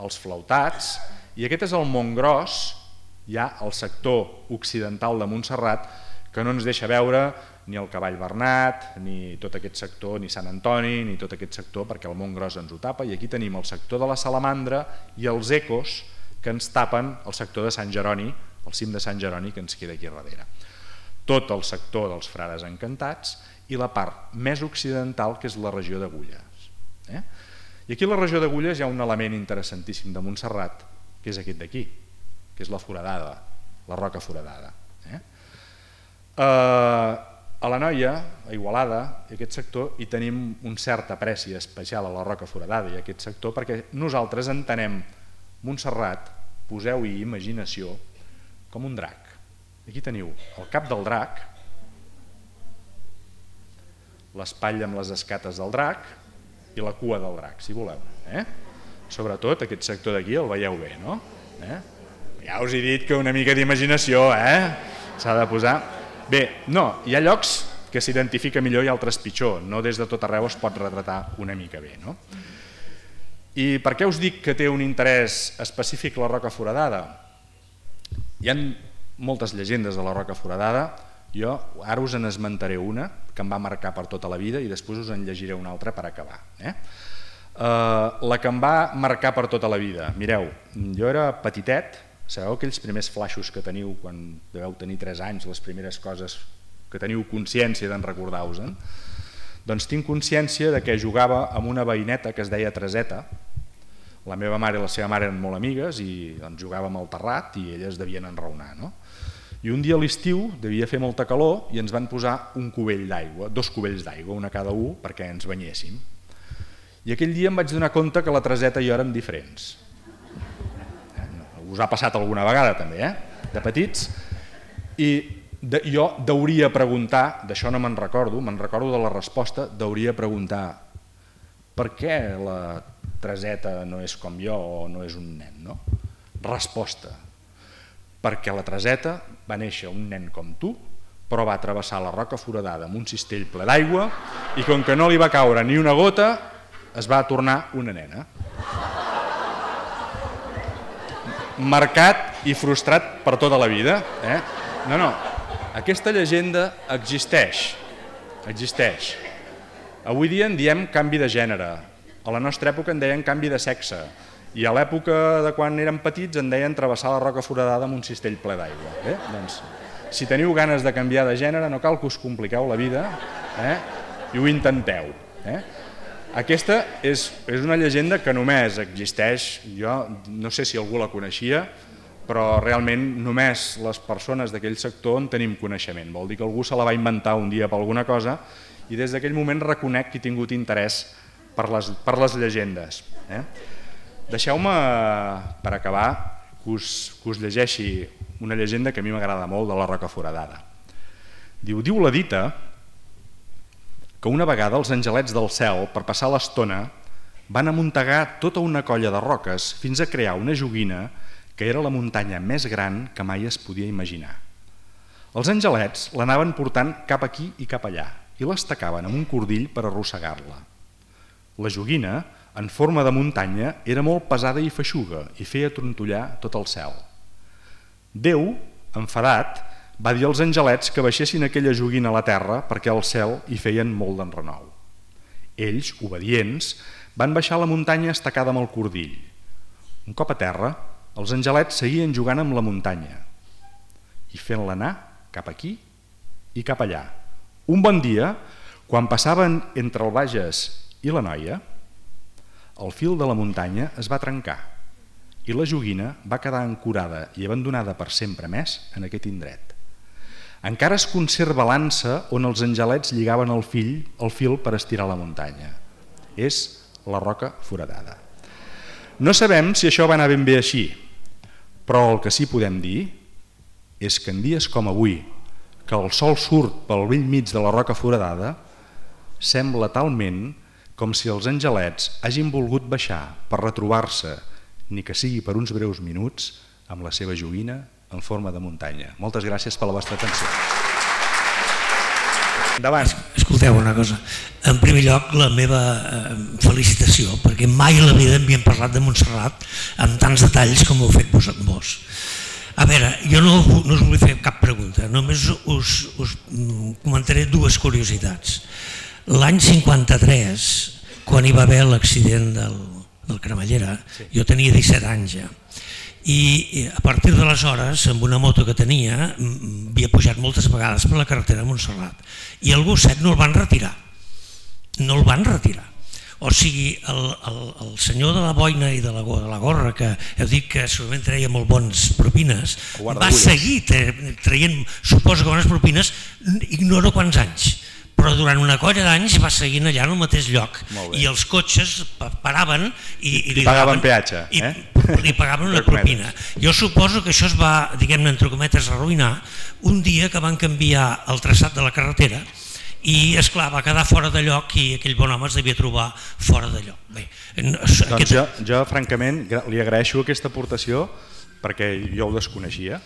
els Flautats, i aquest és el Montgròs, ja al sector occidental de Montserrat, que no ens deixa veure ni el Cavall Bernat, ni tot aquest sector, ni Sant Antoni, ni tot aquest sector, perquè el Montgròs ens ho tapa, i aquí tenim el sector de la Salamandra i els Ecos que ens tapen el sector de Sant Jeroni, el cim de Sant Jeroni, que ens queda aquí darrere. Tot el sector dels frares encantats i la part més occidental, que és la regió d'Agulles. I aquí a la regió d'Agulles hi ha un element interessantíssim de Montserrat, que és aquest d'aquí, que és la foradada, la roca foradada. A l'Anoia, a Igualada, i aquest sector, hi tenim un cert apreci especial a la roca foradada i a aquest sector, perquè nosaltres entenem Montserrat, poseu-hi imaginació, com un drac. Aquí teniu el cap del drac, l'espatlla amb les escates del drac i la cua del drac, si voleu. Sobretot aquest sector d'aquí el veieu bé, no? Ja us he dit que una mica d'imaginació s'ha de posar. Bé, no, hi ha llocs que s'identifica millor i altres pitjor, no des de tot arreu es pot retratar una mica bé, no? I per què us dic que té un interès específic la Roca Foradada? Hi ha moltes llegendes de la Roca Foradada, jo ara us en esmentaré una que em va marcar per tota la vida i després us en llegiré una altra per acabar. La que em va marcar per tota la vida, mireu, jo era petitet, sabeu aquells primers flaixos que teniu quan deveu tenir 3 anys, les primeres coses que teniu consciència d'en recordar-vos-en? Doncs tinc consciència de que jugava amb una veïneta que es deia Tereseta. La meva mare i la seva mare eren molt amigues i jugàvem al terrat i elles devien enraonar. I un dia a l'estiu devia fer molta calor i ens van posar un cubell d'aigua, 2 cubells d'aigua, un a cada un, perquè ens banyéssim. I aquell dia em vaig donar compte que la Tereseta i jo érem diferents. Us ha passat alguna vegada també, de petits? I jo deuria preguntar, d'això no me'n recordo de la resposta, deuria preguntar per què la Tereseta no és com jo o no és un nen, no? Resposta, perquè la Tereseta va néixer un nen com tu, però va travessar la Roca Foradada amb un cistell ple d'aigua i com que no li va caure ni una gota, es va tornar una nena. Marcat i frustrat per tota la vida. No, aquesta llegenda existeix. Avui dia en diem canvi de gènere, a la nostra època en deien canvi de sexe i a l'època de quan érem petits en deien travessar la Roca Foradada amb un cistell ple d'aigua. Doncs, si teniu ganes de canviar de gènere no cal que us compliqueu la vida i ho intenteu. Aquesta és una llegenda que només existeix, jo no sé si algú la coneixia, però realment només les persones d'aquell sector en tenim coneixement. Vol dir que algú se la va inventar un dia per alguna cosa i des d'aquell moment reconec que he tingut interès per les llegendes. Deixeu-me, per acabar, que us llegeixi una llegenda que a mi m'agrada molt de la Roca Foradada. Diu la dita que una vegada els angelets del cel, per passar l'estona, van amuntegar tota una colla de roques fins a crear una joguina que era la muntanya més gran que mai es podia imaginar. Els angelets l'anaven portant cap aquí i cap allà i l'estacaven amb un cordill per arrossegar-la. La joguina, en forma de muntanya, era molt pesada i feixuga i feia trontollar tot el cel. Déu, enfadat, va dir als angelets que baixessin aquella joguina a la terra perquè al cel hi feien molt d'enrenou. Ells, obedients, van baixar la muntanya estacada amb el cordill. Un cop a terra, els angelets seguien jugant amb la muntanya i fent-la anar cap aquí i cap allà. Un bon dia, quan passaven entre el Bages i la Noia, el fil de la muntanya es va trencar i la joguina va quedar ancorada i abandonada per sempre més en aquest indret. Encara es conserva l'ansa on els angelets lligaven el fil per estirar la muntanya. És la Roca Foradada. No sabem si això va anar ben bé així, però el que sí podem dir és que en dies com avui, que el sol surt pel bell mig de la Roca Foradada, sembla talment com si els angelets hagin volgut baixar per retrobar-se, ni que sigui per uns breus minuts, amb la seva joguina en forma de muntanya. Moltes gràcies per la vostra atenció. Endavant. Escolteu una cosa. En primer lloc, la meva felicitació, perquè mai a la vida havíem parlat de Montserrat amb tants detalls com ho heu fet vos. A veure, jo no us vull fer cap pregunta, només us comentaré 2 curiositats. L'any 53, quan hi va haver l'accident del Cremallera, jo tenia 17 anys ja, i a partir d'aleshores, amb una moto que tenia, havia pujat moltes vegades per la carretera de Montserrat i el gosset no el van retirar. O sigui, el senyor de la boina i de la gorra, que heu dit que segurament treia molt bons propines, va seguir traient, suposo que bones propines, ignoro quants anys, però durant una colla d'anys va seguint allà en el mateix lloc i els cotxes paraven i li pagaven peatge, li pagaven una propina. Jo suposo que això es va, diguem-ne, entre cometes, arruïnar un dia que van canviar el traçat de la carretera i, esclar, va quedar fora de lloc i aquell bon home es devia trobar fora de lloc. Doncs jo francament li agraeixo aquesta aportació perquè jo ho desconeixia,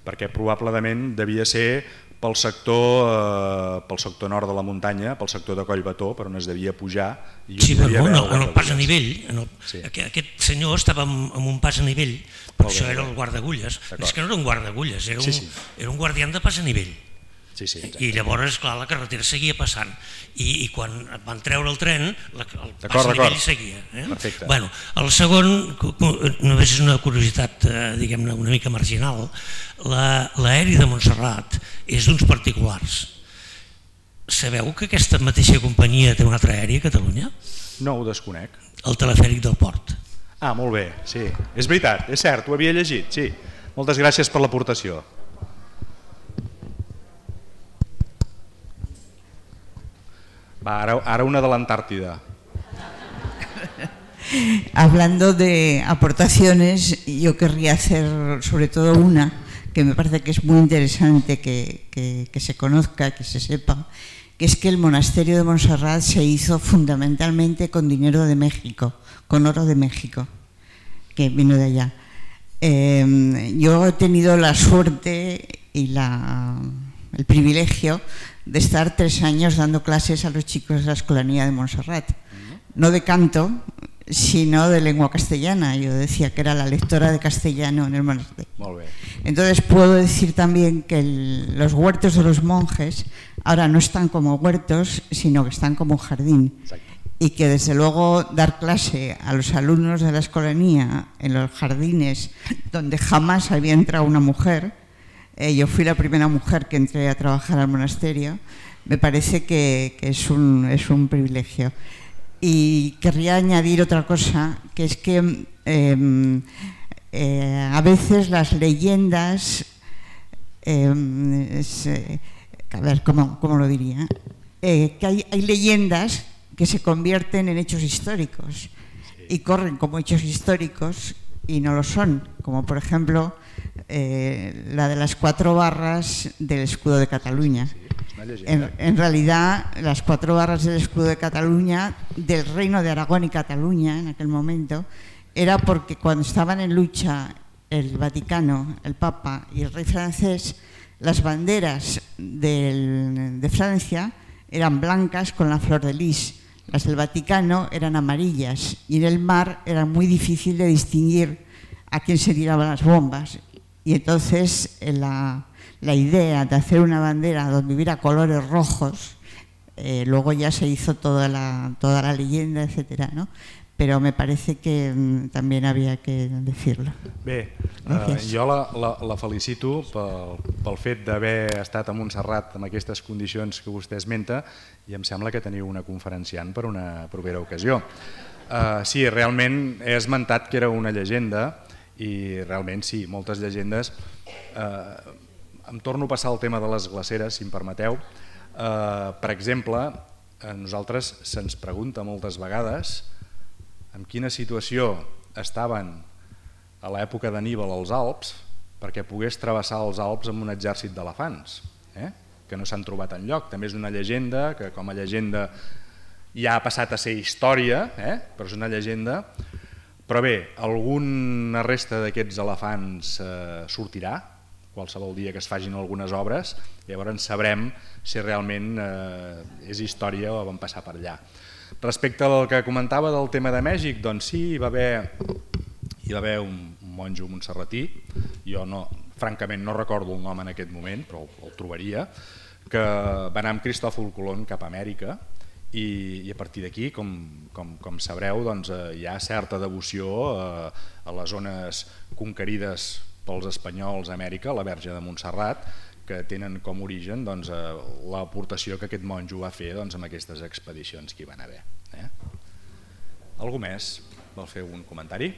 perquè probablement devia ser pel sector nord de la muntanya, pel sector de Collbató, per on es devia pujar. Sí, però en el pas a nivell. Aquest senyor estava en un pas a nivell, però això era el guardagulles. És que no era un guardagulles, era un guardián de pas a nivell. I llavors, clar, la carretera seguia passant i quan van treure el tren el pas a nivell seguia. Bueno, el segon, només és una curiositat, diguem-ne, una mica marginal. L'aeri de Montserrat és d'uns particulars. Sabeu que aquesta mateixa companyia té un altre aeri a Catalunya? No, ho desconec. El telefèric del port. Ah, molt bé, sí. És veritat, és cert, ho havia llegit, sí. Moltes gràcies per l'aportació. Va, ara una de l'Antàrtida. Hablando de aportaciones, yo querría hacer sobre todo una que me parece que es muy interesante que se conozca, que se sepa, que es que el monasterio de Montserrat se hizo fundamentalmente con dinero de México, con oro de México, que vino de allá. Yo he tenido la suerte y el privilegio de estar 3 años dando clases a los chicos de la Escolanía de Montserrat, no de canto, sino de lengua castellana. Yo decía que era la lectora de castellano en el monasterio. Entonces puedo decir también que los huertos de los monjes ahora no están como huertos, sino que están como un jardín. Y que desde luego dar clase a los alumnos de la Escolanía en los jardines donde jamás había entrado una mujer, yo fui la primera mujer que entré a trabajar al monasterio, me parece que es un privilegio. Y querría añadir otra cosa, que es que a veces las leyendas, a ver, ¿cómo lo diría? Que hay leyendas que se convierten en hechos históricos y corren como hechos históricos y no lo son, como por ejemplo la de las 4 barras del escudo de Cataluña. En realidad, las 4 barras del escudo de Cataluña, del Reino de Aragón y Cataluña en aquel momento, era porque cuando estaban en lucha el Vaticano, el Papa y el rey francés, las banderas de Francia eran blancas con la flor de lis, las del Vaticano eran amarillas y en el mar era muy difícil de distinguir a quién se tiraban las bombas. Y entonces la idea de hacer una bandera donde hubiera colores rojos, luego ya se hizo toda la leyenda, etcétera, ¿no? Pero me parece que també havia que decir-lo. Bé, jo la felicito pel fet d'haver estat a Montserrat amb aquestes condicions que vostè esmenta i em sembla que teniu una conferenciant per una propera ocasió. Sí, realment he esmentat que era una llegenda i realment sí, moltes llegendes. Em torno a passar el tema de les glaceres, si em permeteu. Per exemple, a nosaltres se'ns pregunta moltes vegades en quina situació estaven a l'època d'Anníbal als Alps perquè pogués travessar els Alps amb un exèrcit d'elefants, que no s'han trobat enlloc. També és una llegenda que com a llegenda ja ha passat a ser història, però és una llegenda. Però bé, alguna resta d'aquests elefants sortirà, qualsevol dia que es fagin algunes obres, llavors sabrem si realment és història o van passar per allà. Respecte al que comentava del tema de Mèxic, doncs sí, hi va haver un monjo montserratí, jo francament no recordo el nom en aquest moment, però el trobaria, que va anar amb Cristòfol Colom cap a Amèrica i a partir d'aquí, com sabreu, hi ha certa devoció a les zones conquerides pels espanyols a Amèrica, la Verge de Montserrat, que tenen com origen l'aportació que aquest monjo va fer amb aquestes expedicions que hi van haver. Algú més vol fer un comentari?